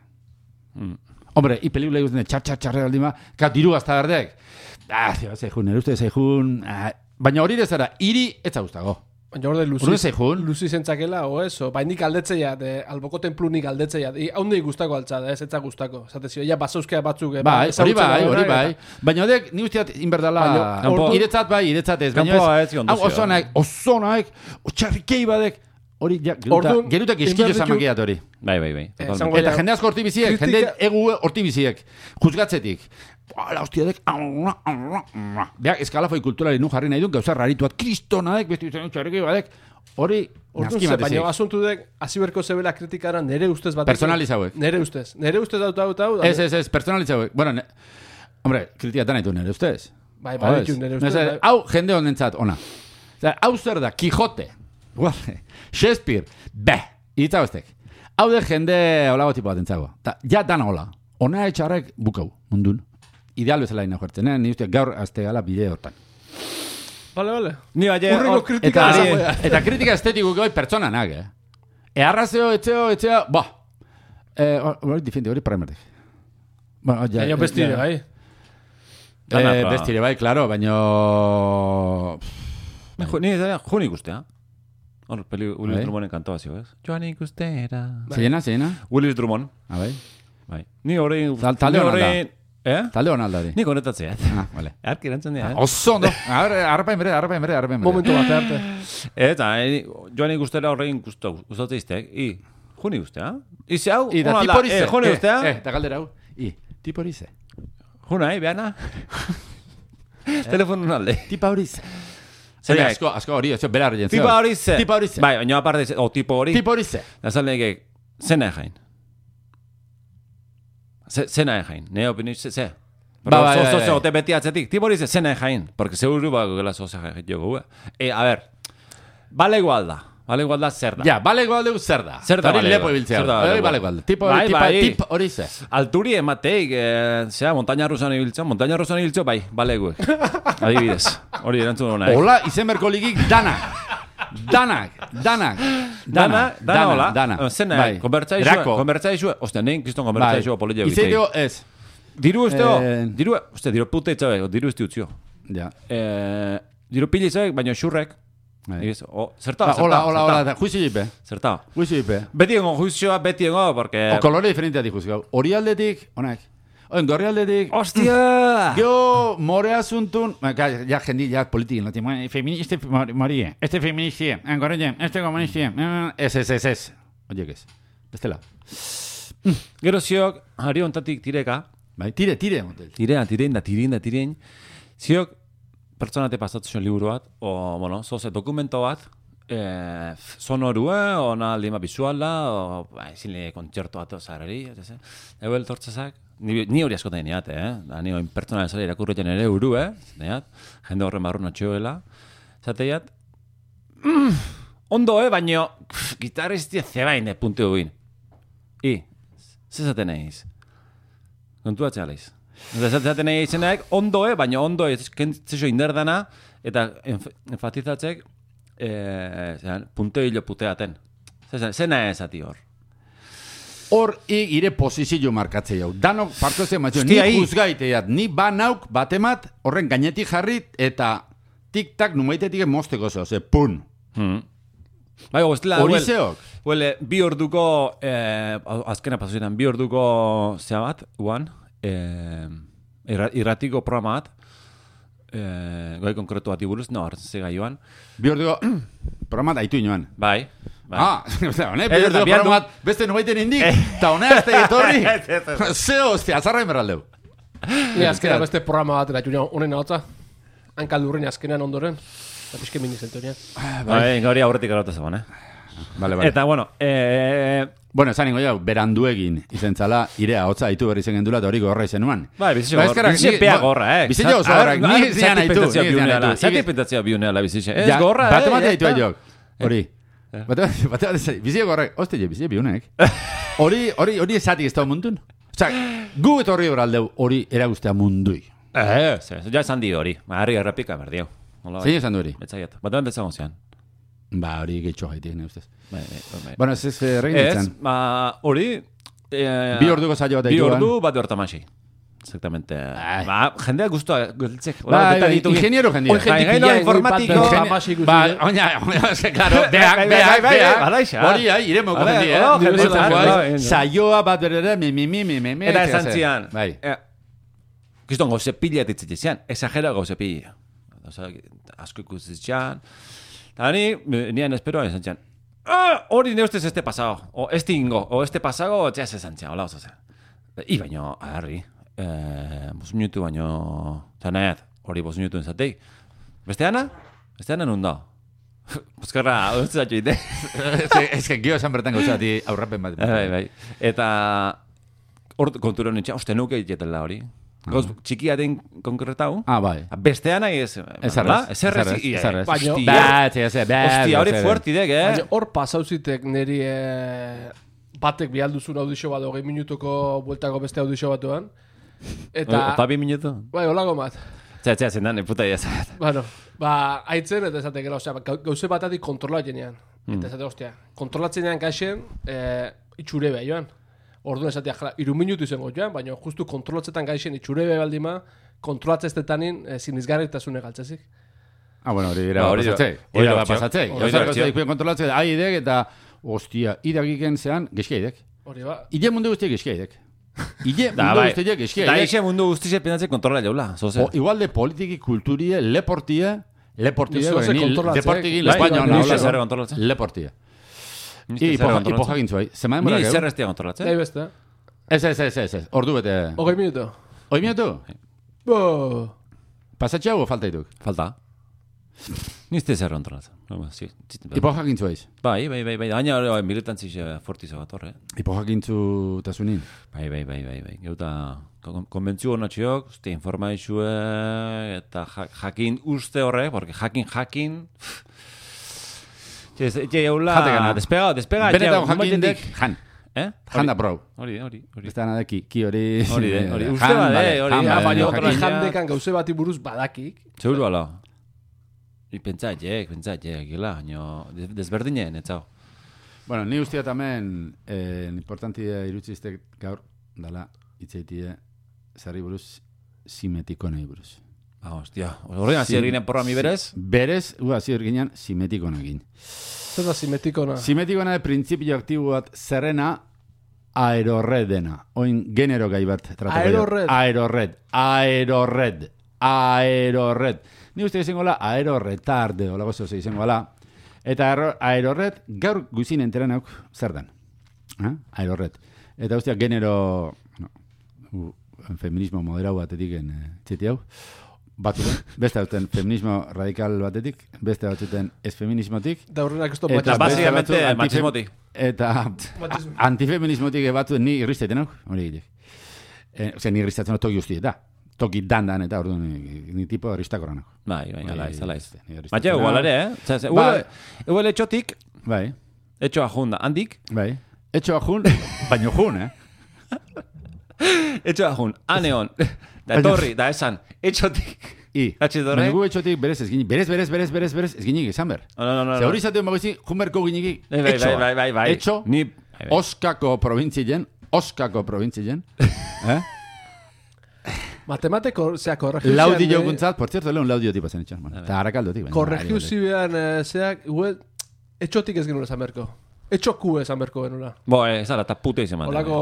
Hmm. Hombre, i pelikula ikusten txar, txar, txarre aldima, ka diru gazta berdek. Ah, zio, zeihun, nire uste zeihun. Ah, baina hori dezara, iri ez gustago. Baina hor de luzi, Urrun zeihun? luzi zentzakela, o ez, o, bai nik aldetzeia, de, alboko templu nik aldetzeia, I- haundei gustako altza, da, ez etza gustako. Zate zio, ja basauzkea batzuk, eh, Bai, hori ezagutzen bai, daudenak, hori bai. eta- Baina odek, ni usteat inberdala, Baina, kanpo- iretzat bai, iretzat ez. Baina kanpoa ez, ez zion hau duzio. oso naik, oso naik, otxarrikei badek, hori, ja, geruta, Orduan, gerutak eskillo inberditu- zamakiat hori. Bai, bai, bai. Eh, totalmente. zango- Eta ja, jende asko hortibiziek, kritika- jende egu hortibiziek, juzgatzetik. La hostiadek, beak eskalafoi kulturari nu jarri nahi duen, gauza rarituat, kristonaek, beste izan txarriki badek, hori, Orduan naski ze, baina matezik. asuntu dek, aziberko zebela kritikara nere ustez bat. Personalizauek. Nere ustez. Nere ustez dut dut dut. Ez, ez, ez, personalitzauek. Bueno, ne, hombre, kritikatan nahi du nire ustez. Bai, bai, ditu nere ustez. Nese, bai. hau jende honentzat, ona. Osea, hau zer da, Quijote, guarde, Shakespeare, be, itza bestek. Hau de jende holago tipo bat entzago. Ta, ja dan hola. Ona etxarrek bukau, mundun. Ideal bezala ina jertzen, eh? Ni uste gaur azte gala bide hortan. Vale, vale. Ni baina... Urrengo hor- kritika Eta, izango da. eta kritika estetiko goi pertsonanak, eh? Earrazeo, etxeo, etxea, ba. Eh, hori difendi, hori paramerdik. Bueno, ja, Baina bestire, ja. bai. Dana, Eh, ba. bestire, bai, claro, baino... Ju- Ni ez jun ikustea. Hor, peli Willis Bai. Drummonden kantoa zio, ez? Joan ikustera. Zeina, zeina? Willis Drummond. Ah, bai. Bai. Ni horrein... Tal- talde ni hona da. horrein- Eh? Talde hon aldari. Ni konetatzea. Ah, vale. Arki erantzen dira, eh? Oso ondo. Arrapain bere, arrapain bere, arrapain bere. Momentu bat arte. Eta, eh, joan ikustera horrein gustatzen izteak. I, jun ikustea. Ize hau, I da ona tipo horize. eh, jun ikustea. Eh, eta galdera hau. I, tipo horize. Juna, eh, behana. Telefonun alde. Tipa horize. Zer Hori nahi? asko, asko hori, ez bera horien. Tipa horize. Tipa horize. Bai, baina aparte, o tipo hori. Tipo horize. Da sal nege, zena jain. Ze- Zena jain. Ne opinio, ze, ze. Ba, bai, so, bai, so, bai. so, te beti atzetik. Tipo hori ze zena jain. Porque seguro ba gela sosa jain jogu. Eh, a ver. Vale igual da. Vale igual da zer da. Ja, bale igual dugu zer da. Zer da Hori bale lepo igual. ibiltzea. Zer da Hori bale bale igual. igual. Tipo Bai, tipa, bai. tip horize. Alturi emateik, eh, zera, montaña rusan ibiltzo, montaña rusan ibiltzo, bai, baleguek. Adibidez. Hori erantzun hona, eh? Hola, izen berko ligik danak. Danak, danak. Dana, dana, hola. Dana. Eh, Zena, Bai. konbertza izue, Erako. konbertza izue, ostia, nein kiston konbertza Bai. izue polilla Izen bitei. dio ez. Diru usteo, Eh, diru, ostia, diru puta itzabe, diru usti utzio. Ja. Eh, diru pili izabek, baina xurrek. Bai. Ibez, o, zerta, Ba, zerta, Hola, hola, zerta, hola. Juizi jipe. zerta. Juizi jipe. Beti engo juizioa, beti engo, porque... O kolore diferentea dikuz gau. Hori aldetik, onak. Oen, gorri aldetik. Ostia! Yo, more asuntun, ja, ja jendi, ja politikin, lati, feministe morie, este feministie, engorrien, este komunistie, ez, ez, ez, ez. Oiek ez, bestela. Gero ziok, ari ontatik tireka, Bai, tire, tire, motel. tirean, tirein da, tirein da, tirein, ziok, pertsonate pasatu zuen liburu bat, o, bueno, zoze dokumento bat, eh, sonorue, ona aldima bizuala, o, ba, ezin kontzertu bat ozarari, eta ze. Ego eltortzezak, Ni, ni hori askotan niat, eh? Da, ni oin pertsonalen zara irakurretan ere uru, eh? Niat, jende horren barruna txoela. Zateiat, mm, ondo, eh? Baina, gitarristia zebain, eh? Puntu guin. I, zezaten eiz. Kontuatzea leiz. Zezaten eiz zenaek, ondo, eh? Baina ondo, ez kentzio inderdana, eta enf enfatizatzek, eh, puntu hilo puteaten. Zena ez ati hor. Hor ire posizio markatzea jau. Danok partuatzen matxo, ni juzgaiteat, ni banauk batemat horren gainetik jarrit eta tik-tak numaitetik mosteko zeo, ze pun. Hmm. Bai, goztela, hori zeok. Huele, bi orduko, eh, azkena pasuzietan, bi orduko zea bat, uan, eh, irratiko programa bat, eh, gai konkretu bat iburuz, no, hartzen zega joan. Bi orduko programa bat aitu inoan. Bai. Bai. Ah, hone, bi orduko programa bat beste nubaiten indik, eta hone azte etorri, zeo, hostia, azarra inberraldeu. Ni azkena beste programa bat eratu nio, honen hotza, hankaldurren azkenean ondoren, eta pixke minizentonia. Bai, gauri aurretik erauta zegoen, eh? Vale, vale. Eta, bueno, eh... Bueno, esan ingo jau, beranduegin izentzala, irea, hotza haitu berri zen gendula, eta hori gorra izen nuan. Bai, bizitxe gorra, bizitxe pea gorra, eh? Bizitxe oso gorra, ni zian haitu, ni zian haitu. Zati pentsatzea biuneala bizitxe, ez gorra, eh? Bate mate haitu aiok, hori. Bate mate haitu, bizitxe gorra, hoste je, bizitxe biunek. Hori, hori, hori esati ez da mundun. Osa, gu eta horri horaldeu, hori eragustea mundui. Eh, ja esan di hori, harri errepika berdiau. Zein esan du hori? Betzaiat, bate mate zagon zean. Ba, hori gehiago haitik, ne ustez. Bai, bai. Bueno, ez ez regin ditzen. Ez, ba, hori... Bi orduko saio bat Bi ordu bat hortamasi. Exactamente. Ba, jendea guztua gultzek. Ba, ingeniero jendea. Bai, gaino informatiko. Ba, oina, oina, claro, beak, beak, beak. Hori, ai, iremoko jendea. Saioa bat berera, mi, mi, mi, mi, mi. Eta esan zian. Bai. Kiston gauze pila ditzitzen zian. Exagera gauze pila. Osa, asko ikusitzen. Eta ni, nian esperoa esan zian. Hori ne ustez este pasado. O este ingo. O este pasado, txea se zantzia. Ola, oso ze. I baino, agarri. Bos minutu baino... Zanet, hori bos minutu enzateik. Besteana? Besteana nun da. Boskarra, onztu zatxo ite. Ez que gio esan bertan gauzati aurrapen bat. Bai, bai. Eta... Hor kontura nintzen, uste nuke dietela hori. Gauz, txikia den konkretau. Ah, bai. Bestean nahi ez... Ez arrez. Ez arrez. Ez arrez. Hostia, hori fuertidek, eh? Baina hor pasauzitek niri batek bihalduzun audizio bat, hogei minutuko bueltako beste audizio batuan. Eta... Ota bi minutu? Bai, holago bat. Txea, txea, zendan, puta idea. Bueno, ba, haitzen eta esate gero, osea, gauze batatik kontrola jenean. Eta esate, ostia, kontrolatzen jenean gaixen, itxure beha joan. Orduan esatea, jala, iru minutu izango joan, baina justu kontrolatzetan gaixen itxurebe baldima, kontrolatzeztetanin e, sinizgarritasune galtzezik. Ah, bueno, hori ira pasatzei. Hori ira pasatzei. Hori ira kontrolatzei, ahi idek eta, ostia, idagiken zean, geskia idek. Hori ba. Ide mundu guztiak geskia idek. Ide mundu guztiak geskia idek. Da ixe mundu guztiak penatze kontrola jaula. Igual de politiki, kulturie, leportie, leportie, deportiki, espainoa, leportie. Ipojagintzu bai. Ni zer estia kontrolatzen? Nahi beste. Ez, ez, ez, ez, ez. Ordu bete. Hogei minutu. Hogei minutu? Bo. Pasatxe hau falta dituk? Falta. Ni ez zer kontrolatzen. Ipojagintzu baiz? Bai, bai, bai, bai. Aina militantziz fortizo bat horre. Ipojagintzu tasunin? Bai, bai, bai, bai, bai. Geuta konbentzio honatxiok, uste informaizue, eta jakin uste horre, porque jakin, jakin... Ete jaula... Despega, despega... Benetan jakindek, jan. Eh? Jan da brau. Hori, hori. Bestean adeki, ki hori... Hori, hori. Uste bade, hori. Baina jandekan gauze bati buruz badakik. Seguru ala. I pentsaiek, pentsaiek, gila, baina desberdinen, etzau. Bueno, ni ustia tamen, importantia irutziztek gaur, dala, itzaitie, zarri buruz, simetiko nahi buruz. Ah, hostia. Horrean hasi erginen programi berez? Berez, ua, hasi erginen simetikona egin. Zer da simetikona? Simetikona de printzipio aktibo bat zerrena aerorredena. Oin genero gai bat tratako. Aerorred. Aerorred. Aerorred. Aerorred. Ni uste izango la aeroretarde, hola gozo ze izango la. Eta aerorred gaur guzin enteren auk zer dan. Aerorred. Eta ustea genero... No, feminismo moderau batetik en txeti hau. Batzuten, beste batzuten feminismo radikal batetik, beste batzuten ez feminismotik. Da horrenak ez to machismo. Eta básicamente machismotik. Eta antifeminismotik batzuten ni irristeten hau, hori gilek. Eh, Ose, ni ristatzen toki guzti eta. Toki dandan eta orduan ni, ni tipo ristakorranako. Bai, bai, ala ez, ala ez. Ni ristatzen- Baina, igual ere, eh? Zase, Bai. igual etxotik, Bai, etxoa junda, handik, bai. Etxoa jun, baino jun, eh? etxoa jun, aneon, da etorri, da esan, etxotik, I, Gatxe dorre? baina gu etxotik berez ez ginik, berez, berez, berez, berez, berez, ez ginik izan ber. no, no, no, Ze hori izaten bagoizi, junberko giniki, Bai, bai, etxoa. bai, bai, bai. Etxo, Ni, bai, bai. Oskako provintzien, Oskako provintzien, eh? Matematiko, zea, korregiuzian... Laudio guntzat, por cierto, lehun laudio tipa zen etxan. Bueno, eta harakaldotik. baina- Korregiuzian, eh, zeak, igual, etxotik ez genuen esan berko. Etxoku esan berko genula. Bo, ez ala, eta pute izan man. Olako...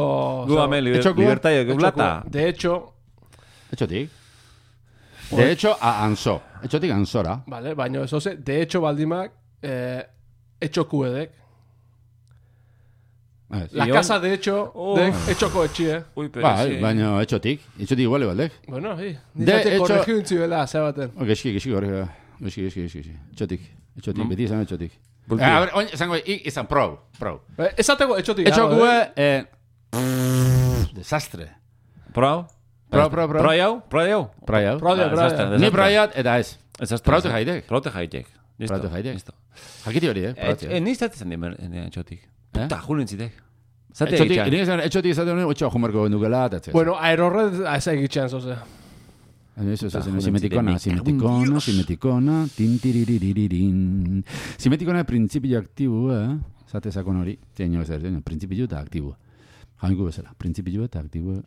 Gu ame, liber, etxoku? libertaio, geulata. De hecho, Etxotik. De hecho, a Anso. Etxotik Ansora. vale, baina ez oze, de hecho baldimak, eh, etxoku edek. Ez. La Ion- casa de hecho, Oh. dek, etxoko etxie. Ui, pero Bai, sí. baina etxotik. Etxotik iguale baldek. Bueno, hi. De Nizate hecho- korregiu intzi bela, zea baten. Oh, Geski, geski, hori. Geski, geski, geski. geski. Etxotik. Etxotik, beti izan etxotik. Bulti. Eh, a ver, oin, esango, ik izan pro, pro. Eh, Esateko etxotik. Etxoku, dago, eh? eh... Desastre. Pro? Pro, pro, pro. Pro jau? Pro jau? Pro jau. Pro jau, Ba, pro desastre, jau. Ni desastre. proiat, eta ez. Desastre. Prote jaitek. Prote jaitek. Listo. Prote jaitek. Listo. Jakiti hori, eh? Eh, Prote. eh, Niz zatezen dimer, etxotik. Eh? Puta, julen zitek. Zate Etxotik, egitxan. nire esan, etxotik izaten hori, etxoa jumerko gendukela, eta ez. Bueno, aerorred, ez egitxean, zoze. Eso, eso, Eta eso, simetikona, julen ziren, simetikona, Dios. simetikona, tintiririririn. Simetikona printzipio aktibua, zate sakon hori, zein ez zer, printzipio eta aktibua. Jainku bezala, printzipio eta aktibua.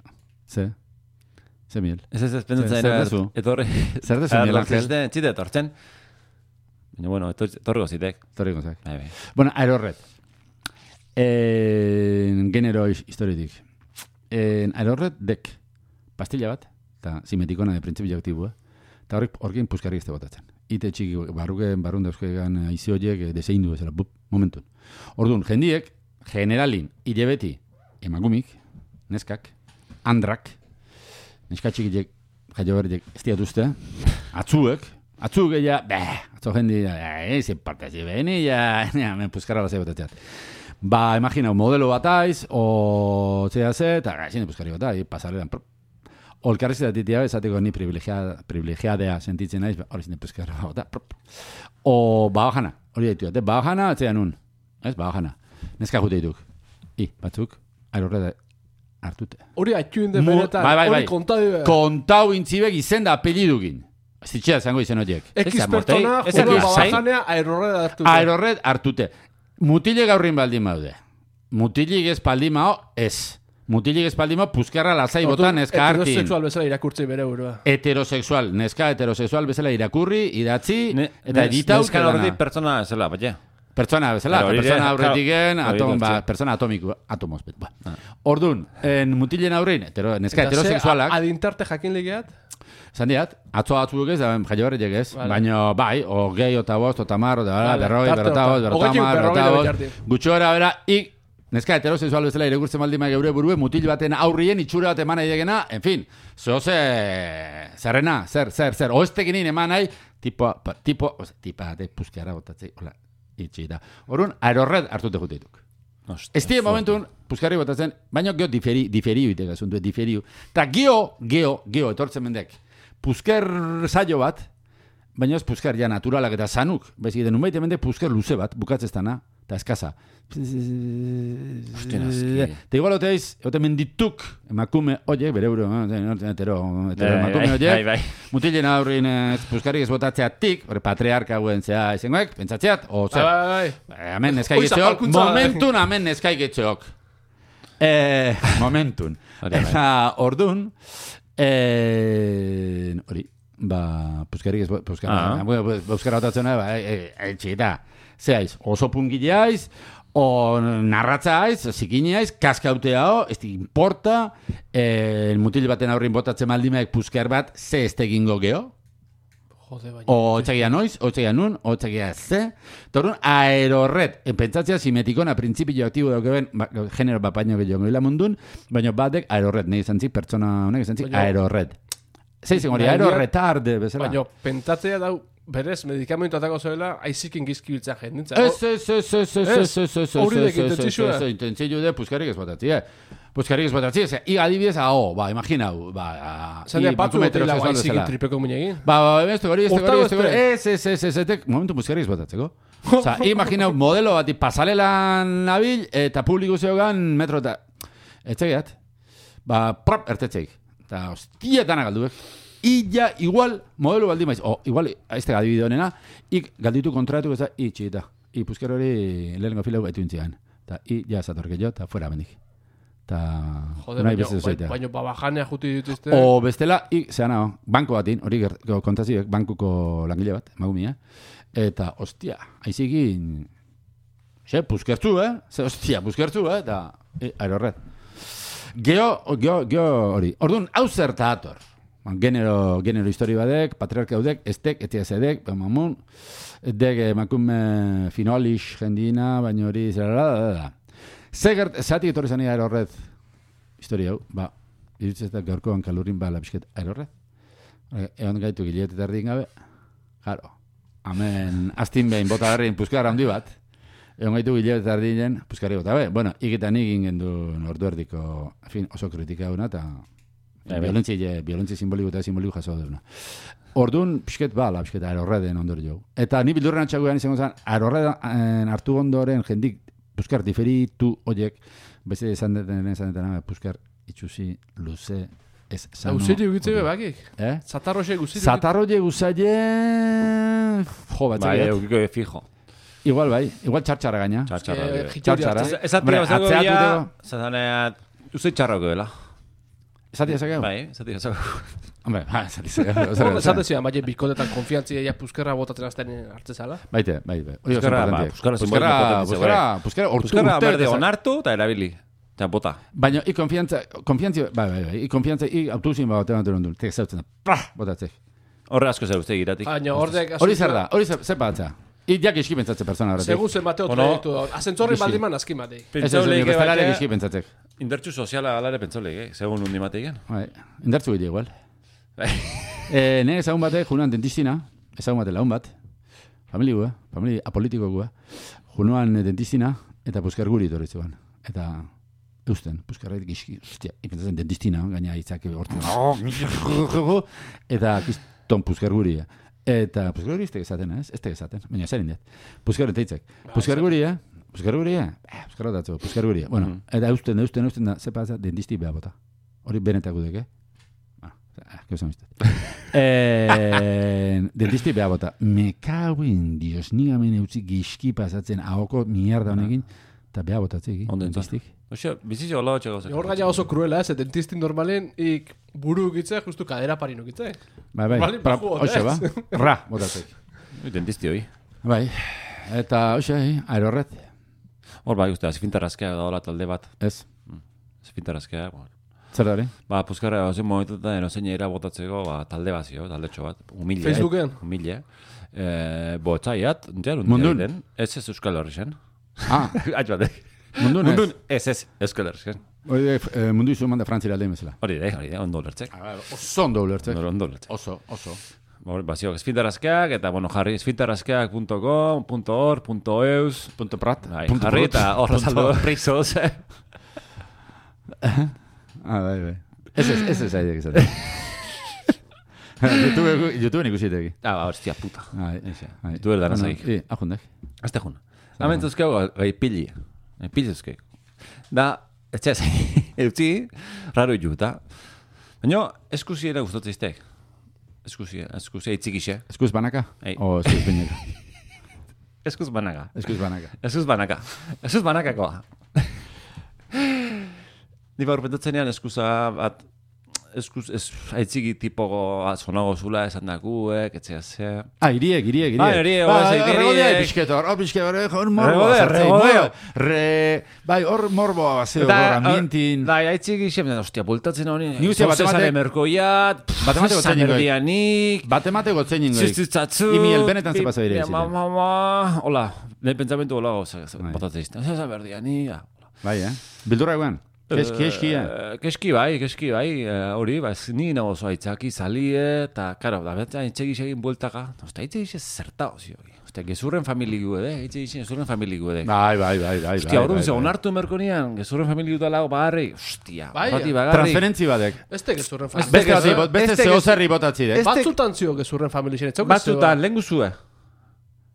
Ze? Ze miel? Ez ez ez pendatzen Zer era, dezu? etorri. Zer dezu, Miguel Ángel? Zite, zite etortzen. Baina, bueno, etor- etorriko zitek. Torri gonzak. Bai, bai. Bueno, aerorret. En, genero his- historietik. En, aerorret dek pastilla bat, eta simetikona de printzipio aktibua, eta horrek horrekin puskarri ezte botatzen. Ite txiki, barruken, barrun dauzkegan aizi horiek deseindu bezala, bup, momentun. Orduan, jendiek, generalin, hilebeti, emakumik, neskak, andrak, neska txikilek, jaio berriek, ez diatuzte, atzuek, atzuk ja, beh, atzo jendi, eh, ez parte zi beni, ja, ja, men puskarra lasai botatzeat. Ba, imagina, modelo bat aiz, o zea ze, eta gaixin puskarri bat aiz, pasarrean, prop. Olkarriz eta titia, esateko ni privilegiada, privilegiadea sentitzen naiz, hori zine puskarra bat, prop. O, bajana, hori daitu, eta bajana, atzea nun, ez, bajana. Neska jute dituk. I, batzuk, aerorreda hartute. Hori atxuin de Mu- benetan, bai, bai, bai. hori kontadi Kontau intzibek izen da apellidukin. Zitxea zango izen horiek. X Ez da, pertsona, mortei, ez juego da, lasai. babajanea, aerorred hartu. Aerorred hartute. Mutile gaurrin baldin baude. Mutilik ez baldin mao, ez. Mutilik ez baldin mao, puskarra lasai botan neska hartin. Heterosexual bezala irakurtzi bere burua. Heterosexual, neska heterosexual bezala irakurri, idatzi, Ne- eta ne- editau. Neskan horretik pertsona zela, baina. Pertsona bezala, Claro, eta hori pertsona ere, aurretiken, claro, atom, hori ba, etortze. pertsona atomiko, atomos, bet, ba. Ordun, en mutilen aurrein, hetero, neska Eta ze, heterosexualak, a- Adintarte jakin legeat? zan diat, atzo atzuek ez, da jaio berriek ez, Vale. baina bai, o gehi, o tabost, o tamar, o da, Vale, berroi, tarte berrotabost, hortan. berrotamar, Hogeitik berrogei berrotabost, bitartin. gutxo era bera, ik, neska heterosexual bezala irakurtzen baldin bai geure burue, mutil baten aurrien itxura bat eman nahi degena, en fin, zoze, zerrena, zer, zer, zer, oestekin eman nahi, tipo, pa, tipo, oza, tipa, de puskiara botatzei, hola, itxi da. Orrun, aerorred hartute juteituk. Ez die momentun, puskarri botatzen, baina geo diferi, diferiu iteka zuntu, diferiu. Ta geo, geo, geo, etortzen mendek, pusker saio bat, baina ez pusker ja naturalak eta zanuk, bezik, den unbaite mendek pusker luze bat, bukatzestana, eta eskaza. Hostia, naski. Eta igual oteiz, ote mendituk, emakume, oie, bere euro, hetero, hetero emakume, oie, Bai, bai. mutilen aurrin ez puskarrik ez botatzeatik, hori patriarka hauen zea izengoek, pentsatzeat, o zer, Bai, bai. Eh, Hemen neskai Hoi getxeok, zapalkuntza. momentun hemen neskai getxeok. Eh, momentun. Hori bai. Eta ordun, eh, hori, ba, puskarrik ez, puskara, Ah. ah. puskara otatzen, ba, eh, eh, txita, zeaiz, oso pungileaiz, o narratzaaiz, zikineaiz, kaskauteao, ez di importa, eh, mutil baten aurrin botatzen maldimeak puskar bat, ze ez tegingo geho, Jode, baina. o txegia noiz, o txegia nun, o txegia ze. Torun, aerorret. En pentsatzea simetikona printzipio aktibo daukeben, ba, genero bapaino gehiago gila mundun, baina batek aerorret, nahi izan zik, pertsona honek izan zik, Baina- aerorret. Zeizen hori, Baina- aerorretarde, bezala. Baina, pentatzea dau, berez, medikamentu atako zoela, aizikin gizkibiltzea jendintza. Ez, ez, ez, ez, ez, ez, ez, ez, Hori dek ez, ez, intentzizua. ez, ez, intentzio de puskarrik ez botatzi, eh? Puskarrik ez botatzi, ez, i adibidez, ah, ba, imaginau, ba, Zendea, i batzu bankumetero dutela sexual aizikin bezala. tripeko minegin. Ba, ba, beste hori, beste hori, beste hori, Horta ez, ez, ez, ez, ez, momentu puskarrik ez botatzeko. Osa, imaginau modelo bati pasalelan nabil, eta publiko zeogan metro eta... Etxegiat, ba, prop, ertetzeik. Eta, hostietan agalduek. Illa, igual, modelo baldi maiz, o, igual, este adibide honena, ik galditu kontratu ez da, i txita. I pusker hori lehenko filau gaitu intzian. Eta, i, ja, zatorke jo, eta fuera bendik. Eta, Joder, unai baino, beste zoitea. baino babajanea juti dituzte. O bestela, i, zean hau, banko batin, hori kontaziek, bankuko langile bat, magumia, eta, ostia, aizikin, xe, puskertzu, eh? Ze, ostia, puskertzu, eh? Eta, e, aerorret. Geo, geo, geo hori. Orduan, hau zerta ator. Genero, genero histori badek, patriarka haudek, estek, etia zedek, mamun, dek emakume finolix jendina, baina hori zera da, da. Zegert, zatik etorri zani aerorret, histori hau, ba, irutzetak gaurkoan kalurin bala bisket aerorret. Egon gaitu gilet eta erdin gabe, jaro, amen, astin behin bota garrin puskara handi bat, egon gaitu gilet eta erdinen puskari bota be. Bueno, ikitan egin gendu ordu erdiko, en fin, oso kritika una, eta Violentzia, violentzia simboliko eta simboliko jaso duna. Orduan, pixket bala, pixket aerorreden ondor jo. Eta ni bildurren atxaguan izango zen, aerorreden hartu ondoren jendik puskar diferitu oiek, beste esan deten, esan deten, puskar itxusi, luze, ez sano. Guziri ugitzeko bakik. Eh? Zatarroxe guziri. Zatarroie guzaile... Jo, bat Bai, zaget. eukiko fijo. Igual bai, igual txartxara gaina. Txartxarra. Eh, Eh, Txartxara. Ez atia Hombre, bazego atzeatu ya, tego. zazaneat, uste txarroko dela. Esatia zakeu? Bai, ez atia bazego. Hombre, ba, esatia zakeu. Hor, esaten zian, baina bikotetan konfiantzia ja puskerra botatzen azten hartzezala. Baite, bai, bai. Hori oso Puskerra, ba, importante. puskerra Puskera, simboliko puskera, puskera, hortu Puskarra urte. berde eta- onartu eta erabili. Eta bota. Baina, i konfiantza, konfiantza, bai, bai, bai, i konfiantza, i autozin bat batean dut ondun, tek zautzen da, prah, botatzek. Horre asko zer uste giratik. Baina hordek... Hori zer da, hori zer zer batza. I jak eski pentsatze persona horretik. Segun zen bateo Ono- proiektu. Azentzorri baldiman azkin batek. Ez ez, Pentsauleik bestelare batea, eski pentsatzek. indartxu soziala alare pentsauleik, eh? Segun undi mateiken. Bai, indartzu gile igual. Bai. Eh, ne ezagun batek, junuan dentistina, ezagun batek lagun bat, familia gua, familia apolitiko gua, junuan dentistina, eta puskar guri torritzuan. Eta, eusten, puskarrait gizki, ostia, ipentzatzen dentistina, gaina hitzak hortzen. Eta, kiston puskar guri, eta puskar guri ez esaten, ez? Ez esaten, baina zer indet. Puskar enteitzek. Puskar guri, eh? Puskar guri, eh? Puskar datzu, puskar guri. Bueno, eta eusten, eusten, eusten da, ze pasa, dentisti beha bota. Hori benetako dek, eh? Ah, que usan usted. eh, dentisti beha bota. Me cago en Dios, ni gamen eutzi gizki pasatzen ahoko mierda honekin, eta beha botatzeki, Ondo entzat. dentistik. Oxe, bizitxo hola hotxe gauzak. Hor gaina oso kruela, ez, dentistin normalen, ik buru ukitze, justu kadera parin ukitze. Bai, bai, Normalen pra, baju hoxe ba, botez. ra, botatzek. Dentisti hoi. Bai, eta hoxe, eh, aerorret, Hor bai, uste, azifintarrazkea daola talde bat. ez, Azifintarrazkea, bueno. zer da hori? Ba, puskarra, ozen momentutan, enozein era botatzeko, ba, talde bazio, taldetxo bat. Humile. Facebooken? Humile. Eh, Botzaiat, entian, Mundun? Ez ez Euskal Herri zen. Ah, Aitz batek. mundun ez. Mundun, ez ez Euskal Herri zen. Hori eh, mundu izu manda frantzira aldein bezala. Hori da, hori da, ondo lertzek. Oso ondo ulertzek. Ondo, ondo lertzek. Oso, oso. Ba, Bazio, esfintarazkeak, eta, bueno, jarri esfintarazkeak punto com, punto org, punto eus, Punto prat. bai, punto jarri prot. eta horra Punto- saldo prisos. Ah, bai, bai. Ez ez, ez ez aidek izaten. YouTube, YouTube ikusi teki. Ah, ba, hostia puta. Bai, eixe. bai. YouTube erdan Bueno, azaik. I, ahondek. Azte juna. Hemen zuzkeu gai pili. Gai pili zuzkeu. Da, ez txez, eutzi, raro juta. Baina, eskusiera gustatzen iztek. Eskusia, eskusia itzikixe. Eskuz banaka? Ei. O eskuz bineka? Eskuz banaka. Eskuz banaka. Eskuz banaka. Eskuz banakakoa. Ni baur pentatzenean eskusa bat, eskuz, ez, aitziki tipo zonago zula esan dakuek, etzea ze. Ah, iriek, iriek, iriek. Bai, iriek, bai, iriek. Regodea pixketor, hor pixketor, hor morboa. Regodea, sartzen, regodea. mo- Re, bai, hor morboa bazeo, hor ambientin. Bai, aitziki xe, hostia, bultatzen honi. Ni uste bat Zozesare ematek- merkoiat, bat ematek gotzen ningoik. Sanerdianik, Bat emate gotzen ningoik. Ziztzatzu. Imi el benetan ze pasa bire Ma, izite. ma, ma, hola, ne pentsamentu hola, Bai. botatzen izten. Zaza berdianik, Bai, eh? Bildurra eguen. Keski, keski, eh? Keski bai, keski bai, hori, ba, ni nago oso aitzaki, salie, eta, karo, da betzen aitzegi egin bueltaka, osta, aitzegi zerta, ozi hori. Osta, gezurren familigu ede, aitzegi gezurren familigu ede. Bai, bai, bai, bai. Ostia, hori duzu, onartu merkonian, gezurren familigu da lago bagarri, ostia, Bai, transferentzi badek. Este gezurren familia. Beste bati, beste zehozerri botatzi dek. Batzutan zio gezurren familia. Batzutan, lehen guzue.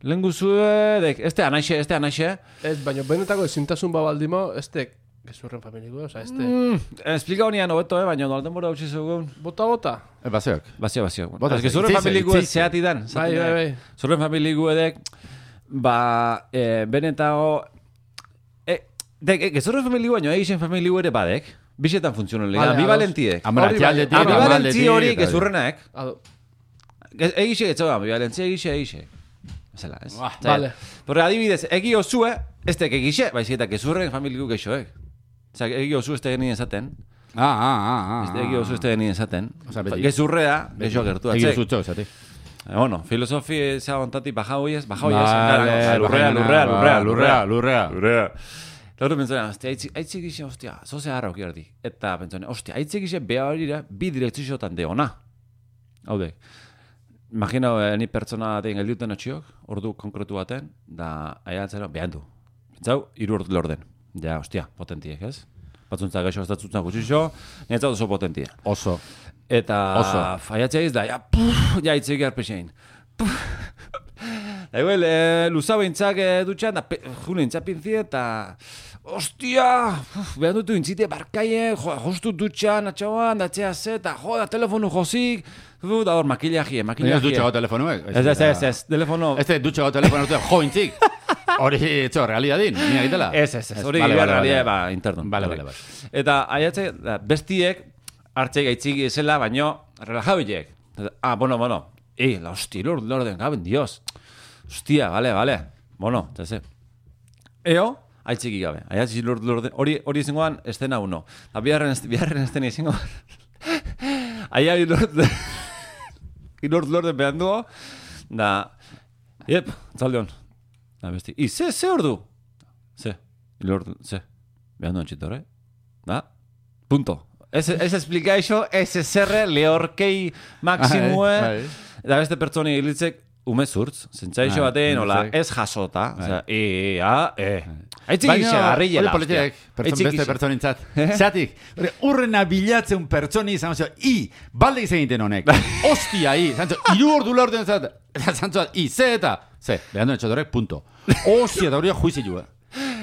Lehen guzue, dek, este anaixe, este anaixe. Ez, baina benetako ezintasun babaldimo, este gezurren familiko, oza, este... Mm, explika honian hobeto, eh, baina nolten bora utzi zugun. Bota, bota. E, baseok. Bazio, bazio. Bota, gezurren familiko ez zeati dan. Bai, bai, bai. Zurren familiko edek, ba, eh, benetago... Eh, dek, eh, gezurren familiko baino, egisen familiko ere badek. Bixetan funtzionan lega, ambivalentiek. Ambivalenti Ambivalenti hori gezurrenak. Egixe etxo, ambivalenti egixe, egixe. Zela, ez? Vale. Porque adibidez, egi osue, ez tek egixe, baizik eta gezurren familiko geixoek. Osa, egi osu ez tegin esaten. Ah, ah, ah, ah. Egi osu ez tegin esaten. Osa, beti. Gezurrea, geixo gertu atzek. Egi osu txo, esati. Bueno, filosofi eza ontati baja hoiez, baja hoiez. Vale, lurrea, lurrea, lurrea, lurrea, lurrea. Lurrea. Lauro pentsona, hostia, aitzik gixe, hostia, zoze harra okierdi. Eta pentsona, hostia, aitzik gixe beha horira, bi direktziotan de ona. Haude. Imagina, ni pertsona den geldiuten atxiok, ordu konkretu baten, da, aiatzera, behan du. Pentsau, iru ordu lorden. Ja, hostia, potentiek, ez? Batzuntza gaixo estatzutza gutxixo, nintzat oso potentia. Oso. Eta oso. Faiatzea iz da, ja, puf, ja, itzik arpexein. Da, igual, e, luza behintzak e, dutxan, da, june intzapinzi eta... Ostia, behan dutu intzite barkaien, jo, justu dutxan, atxauan, da txea ze, eta jo, da telefonu jozik, da hor, makillaje, makillaje. Ez dutxago telefonuek. Ez, ez, ez, ez, telefono... Ez dutxago telefonuek, jo, intzik. Hori, etxo, realidadin, nina egitela. Ez, ez, ez, hori vale, vale, realidad, ba, interno. Vale, vale, vale. Eta, aiatze, bestiek, hartzeik aitziki ezela, baino, relajauiek. Ah, bueno, bueno, eh, la hostia, lord, lorden, gaben, dios. Hostia, vale, vale. Bueno, tese. Eo, aitziki gabe. Aiatzi lord, lorden, hori, hori izangoan, estena uno. Da, biharren, biharren estena izangoan. Aiai lord, lord, lorden behan dugu. Da, yep, zaldeon. Da, besti. I, ze, ze ordu? Ze, lord, ze. Behan duen txito, hori? Da, punto. Ez, ez explika iso, ez ezerre lehorkei maksimue. Da beste pertsoni hilitzek umezurtz. Zentzaixo batean, hola, ez jasota. Osea, e, e, a, e. Aitzik ixe, garrillela. Hori politiek, beste pertsonintzat. Zatik, urrena bilatzen pertsoni izan, ozio, i, balde izan egiten honek. Ostia, i. Zantzo, iru ordu la orden zat. Zantzo, i, ze eta. Ze, behan duen txatorek, punto. Ostia, da hori juizi eh.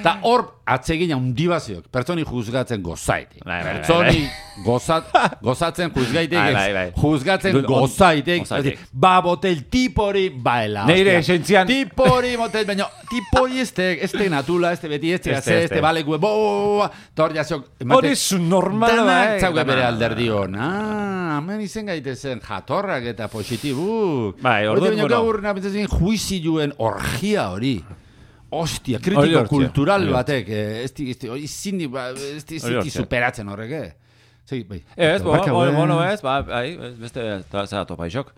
Ta hor atsegina undibaziok, pertsoni juzgatzen gozaitek. Pertsoni gozat, gozatzen juzgaitek, juzgatzen gozaitek. Ba botel tipori baela. Neire esentzian. Tipori motel, baina tipori estek, este natula, este beti, este gaze, este balekue, bo, tor jaziok. Hori zu normal da, eh? Zauke bere alderdio. Ah, hemen izen gaitezen jatorrak eta positibu. Bai, orduan, bueno. Gaur nabitzazen juiziluen orgia hori. Ostia, kritiko kultural batek, ez di zindi, ez di ziti superatzen horrek, eh? Zegi, bai. Ez, bueno, ez, ba, beste, zera topa isok.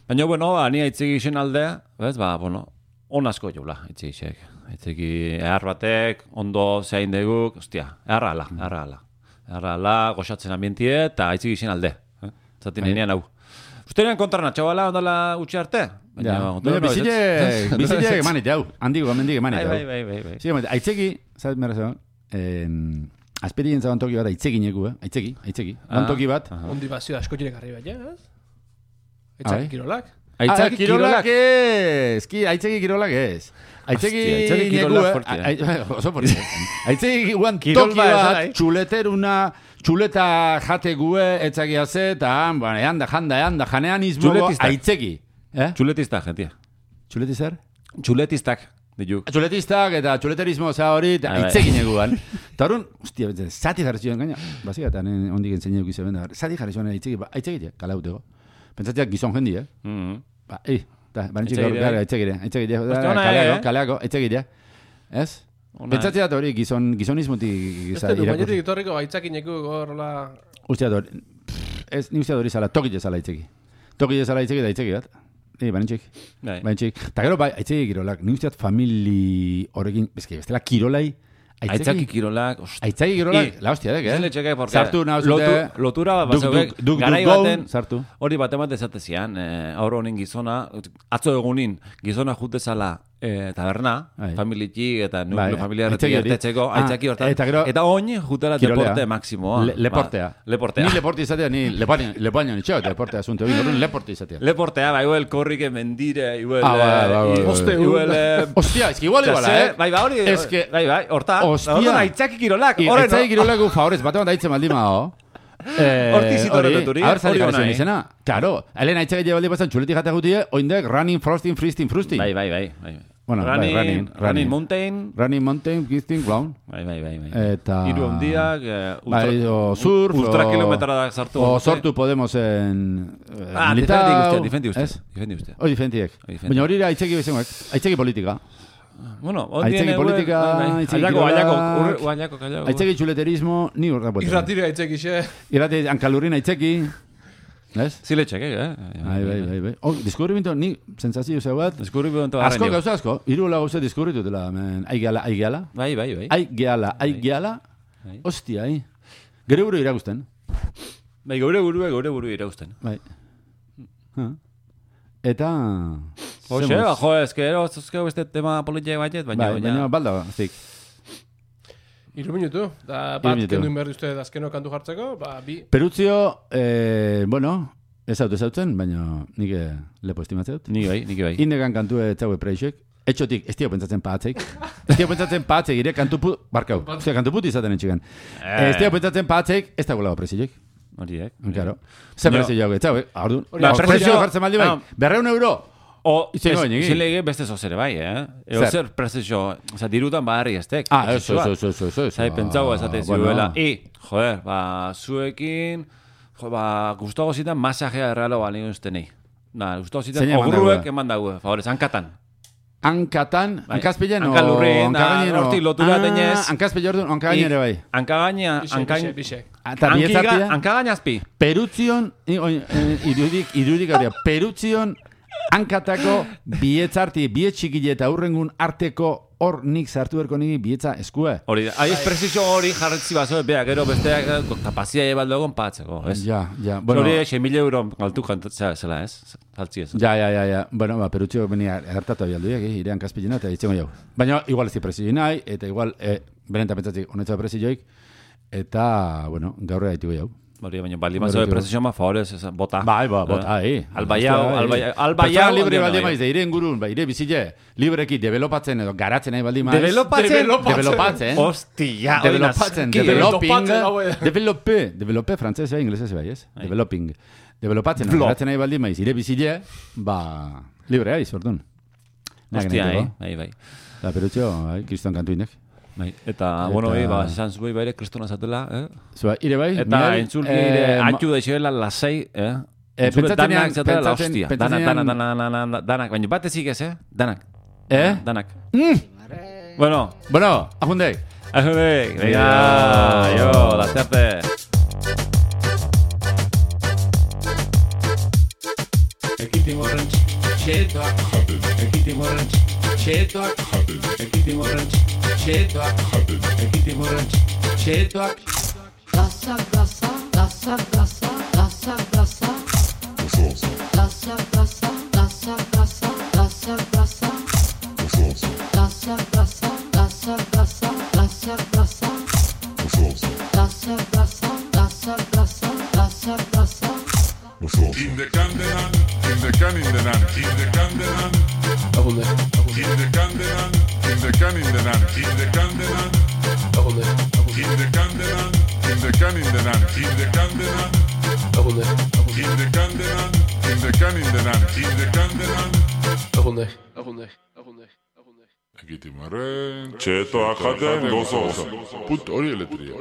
Baina, bueno, ni aitzegi isen aldea, ez, ba, bueno, on asko joula, aitzegi isek. Aitzegi ehar batek, ondo zehain deguk, ostia, eharra ala, eharra ala. Eharra ala, goxatzen ambientie, eta aitzegi isen alde. Zatin enean hau. Ustenean kontra natxabala, ondala utxe arte? Baina, bizilek, bizilek emanit jau, handik gomendik emanit jau. Bai, bai, bai, bai. Aitzeki, zabet merrazo, asperientza ontoki bat aitzeki neku, eh? Aitzeki, aitzeki, ontoki bat. Ondi bazio asko jirek arriba, ja? Aitzaki kirolak? Aitzaki kirolak ez, aitzeki kirolak ez. Aitzeki neku, oso porti. Aitzeki guan toki bat, txuleteruna, txuleta jate gue, etzakia ze, eta eanda, janda, eanda, janean izmogo, aitzeki. Txuletistak, gentia. Txuletizar? Txuletistak, ditu. Txuletistak eta txuleterismo za hori, aitzegin eguan. Eta horren, hostia, zati jarri zion gaina, bazika eta ondik entzene euk izan benda, zati jarri zion aitzegi, aitzegi, kala uteko. Pentsatiak gizon jendi, eh? Ba, ei, da, banitxik gaur gara, aitzegire, aitzegire, kaleako, kaleako, aitzegire, ez? Pentsatiak hori gizonismutik irakurri. Ez du, bainitik itorriko aitzakin eku gorla... Usteat hori, ez, ni usteat hori zala, tokit ezala aitzegi. Tokit ezala aitzegi da aitzegi bat. Ei, banitxik, banitxik. Eta gero, bai, aitzegi kirolak, ni usteat famili horrekin, bezke, bestela kirolai, Aitzaki kirolak, ostia. Aitzaki kirolak, la hostia dek, eh? Zile txeke, porque sartu nahuzute, lotura bat duk, bazauk, duk, duk, garai duk, baten, sartu. Hori bat emate esatezian, eh, aurro honin gizona, atzo egunin, gizona jutezala eh, taberna, Ai. familiki eta Bai, nuklo familiarretik aitzaki hori. ertetzeko, Ah, aitzaki hortan. eta gero- Eta oin jutela Kirolea. deporte maksimoa. Le, leportea. Ba, leportea. Ni leporte izatea, ni lepaño, lepaño nitxo, deportea asunto. Egin horren leporte izatea. Leportea, ba, igual korrike mendire, igual... Ah, bai, bai, bai, bai. Oste, igual... eh, Hostia, es que igual iguala, eh? Bai, ba, hori... Es que- Bai, bai, horta. Hostia. Hortan aitzaki kirolak. I, Horren, aitzaki kirolako favorez, bate bat daitzen baldin mao. Eh, Horti zitorreturi, hori, hori jarri ona, eh? izena. Claro, helen aitzaki jebaldi bazan txuletik jata gutie, oindek running, frosting, freezing, frusting. Bai, bai, bai. bai. Bueno, bai, running, running, running, running. mountain. Running, mountain, gifting, clown. Bai, bai, bai. bai. Eta... Hiru handiak, eh, ultra, Bai, o surf, ultra o- kilometradak sartu. O sortu Podemos en... Eh, Ah, militar, difendi uste, difendi uste. ez? Difendi uste. Hoi difentiek. Hoi difendi. Baina hori ere aitzeki bezengoek. Aitzeki politika. Bueno, Aitzeki politika, aitzeki Aitzeki kirolak, Aitzeko, urre, aitzeko, aitzeko. Aitzeki txuleterismo, ni urra buelta. Irratira aitzeki, Irrati ankalurrin aitzeki. Ez? Zile txeke, eh? Bai, bai, bai, bai. Oh, deskubrimiento, ni sensazio zeu bat. Deskubrimiento Asko garranio. gauza asko. Hiru la gauza deskurritutela, men. Ai gehala, ai gehala. Bai, bai, bai. Ai gehala, ai gehala. Bai. Hostia, ai. Gero buru iragusten. Bai, gaure burue, gaure burue irausten. Bai. Ha. Eta... Hoxe, zemos. ba, jo, ez que ero, zuzkeu beste tema politiak baiet, baina... Bai, baina balda, zik. Iru minutu. Da, Hiru bat, minutu. kendu inberdi uste azkeno kantu jartzeko, ba, bi. Perutzio, eh, bueno, ez haut ez hautzen, baina nik eh, lepo estimatzeut. Ni bai, nik bai. Indegan kantu etzaue preixek. Etxotik, ez dio pentsatzen patzeik. Ez dio pentsatzen patzeik, ire kantu put... Barkau, ostia, kantu put izaten etxigan. Eh. Ez dio pentsatzen patzeik, ez da gulago presiek. Horiek. Claro. Zer No. presio jau, etzaue, ordun. Hori, Ba, presio- presio jartzen maldi bai. Ah. Berreun euro. O, Izango ez, bainegi. zilege beste zozere bai, eh? Eo Zer? zer prestizio, oza, dirutan barri estek. Ah, eso, eso, eso, eso, eso. Zai, pentsau esate Bueno. ziuela. I, joder, ba, zuekin, jo, ba, gustago zitan masajea errealo bali ustenei. Na, gustago zitan, Zein eman ogruek dagoe? eman dago, favorez, hankatan. Hankatan, Bai. hankazpilen o Hankalurrin, hankagainen o... hortik lotura denez. Hankazpile ordun, hankagainen ere bai. Hankagaina, Bixek, hankain... bixek, bixek. Eta bietzartia, Hankagainazpi. Perutzion, i- oi, eh, irudik, irudik hori, Perutzion hankatako bietzarti, biet txikile eta aurrengun arteko hor nik sartu berko niki bietza eskue. Hori, aiz prestizio hori jarretzi bazo, bea, gero besteak eh, kapazia ebaldo egon patzeko, ez? Ja, ja, Bueno, bueno, hori, sei mila euro galtu kantatzea zela, ez? Saltzi ez. ja, ja, ja, ja. Bueno, ba, Perutzio beni hartatu abialduak, eh, irean kaspilena eta itzengo jau. Baina, igual ez di presio nahi, eta igual, eh, berenta pentsatik honetza presioik, eta, bueno, gaur egituko jau. Hori, baina bali mazo de presizio ma favorez, ez, bota. Bai, ba, bota, eh. Albaiao, Hostia, albaiao, eh. albaiao. Pertsona libre ondiena, baldin bai. maiz, da ire ingurun, ba, ire bizile, libreki developatzen edo garatzen nahi baldin maiz. Developatzen? Developatzen. Hostia, hori Developatzen, nazki, developing, Developatzen, hau, eh. develope, develope, frantzez bai, inglesez bai, ez? Bai. Developing. Developatzen, Vlog. garatzen nahi baldin maiz, ire bizile, ba, libre aiz, ordun. Hostia, eh? Bai, bai. Da, perutxo, bai, kriston kantu inek. Bai, eta, Eta- bueno, bai, ba, esan zuei baire kristona zatela, eh? Zua, ire bai, Eta Miguel, entzulki eh, ere ma- atxu da izuela lasei, eh? Eh, Entzule pentsatzenean- danak zatela la pentsatzen- hostia. pentsatzenean- Danak, danak, danak, danak, danak, danak, baina bat ezik ez, eh? Danak. Eh? Danak. Mm! Bueno, Bueno, ajundek. ajudek, venga, jo, la suerte. Ekitimoren txetoak Ekitimoren txetoak Ekitimoren txetoak Ekitimoren txetoak Gasa, gasa, gasa, gasa, gasa, gasa. Gasa, gasa, gasa, gasa, gasa, gasa. Gasa, gasa, gasa, gasa, gasa, gasa. Gasa, gasa, gasa, gasa, gasa, gasa. In the candelan, in the can in the nan, in the candelan, Agunde, in the candelan, in the can in the nan, in the candelan, agunde, in the candelan, in the can in the nan, in the candelan, agunde, in the candelan, in the can in the nan, in the candelan. agunde, agunde, agunde, agunde. Ekitimoren txetoak jaten gozo gozo. Put hori eletria.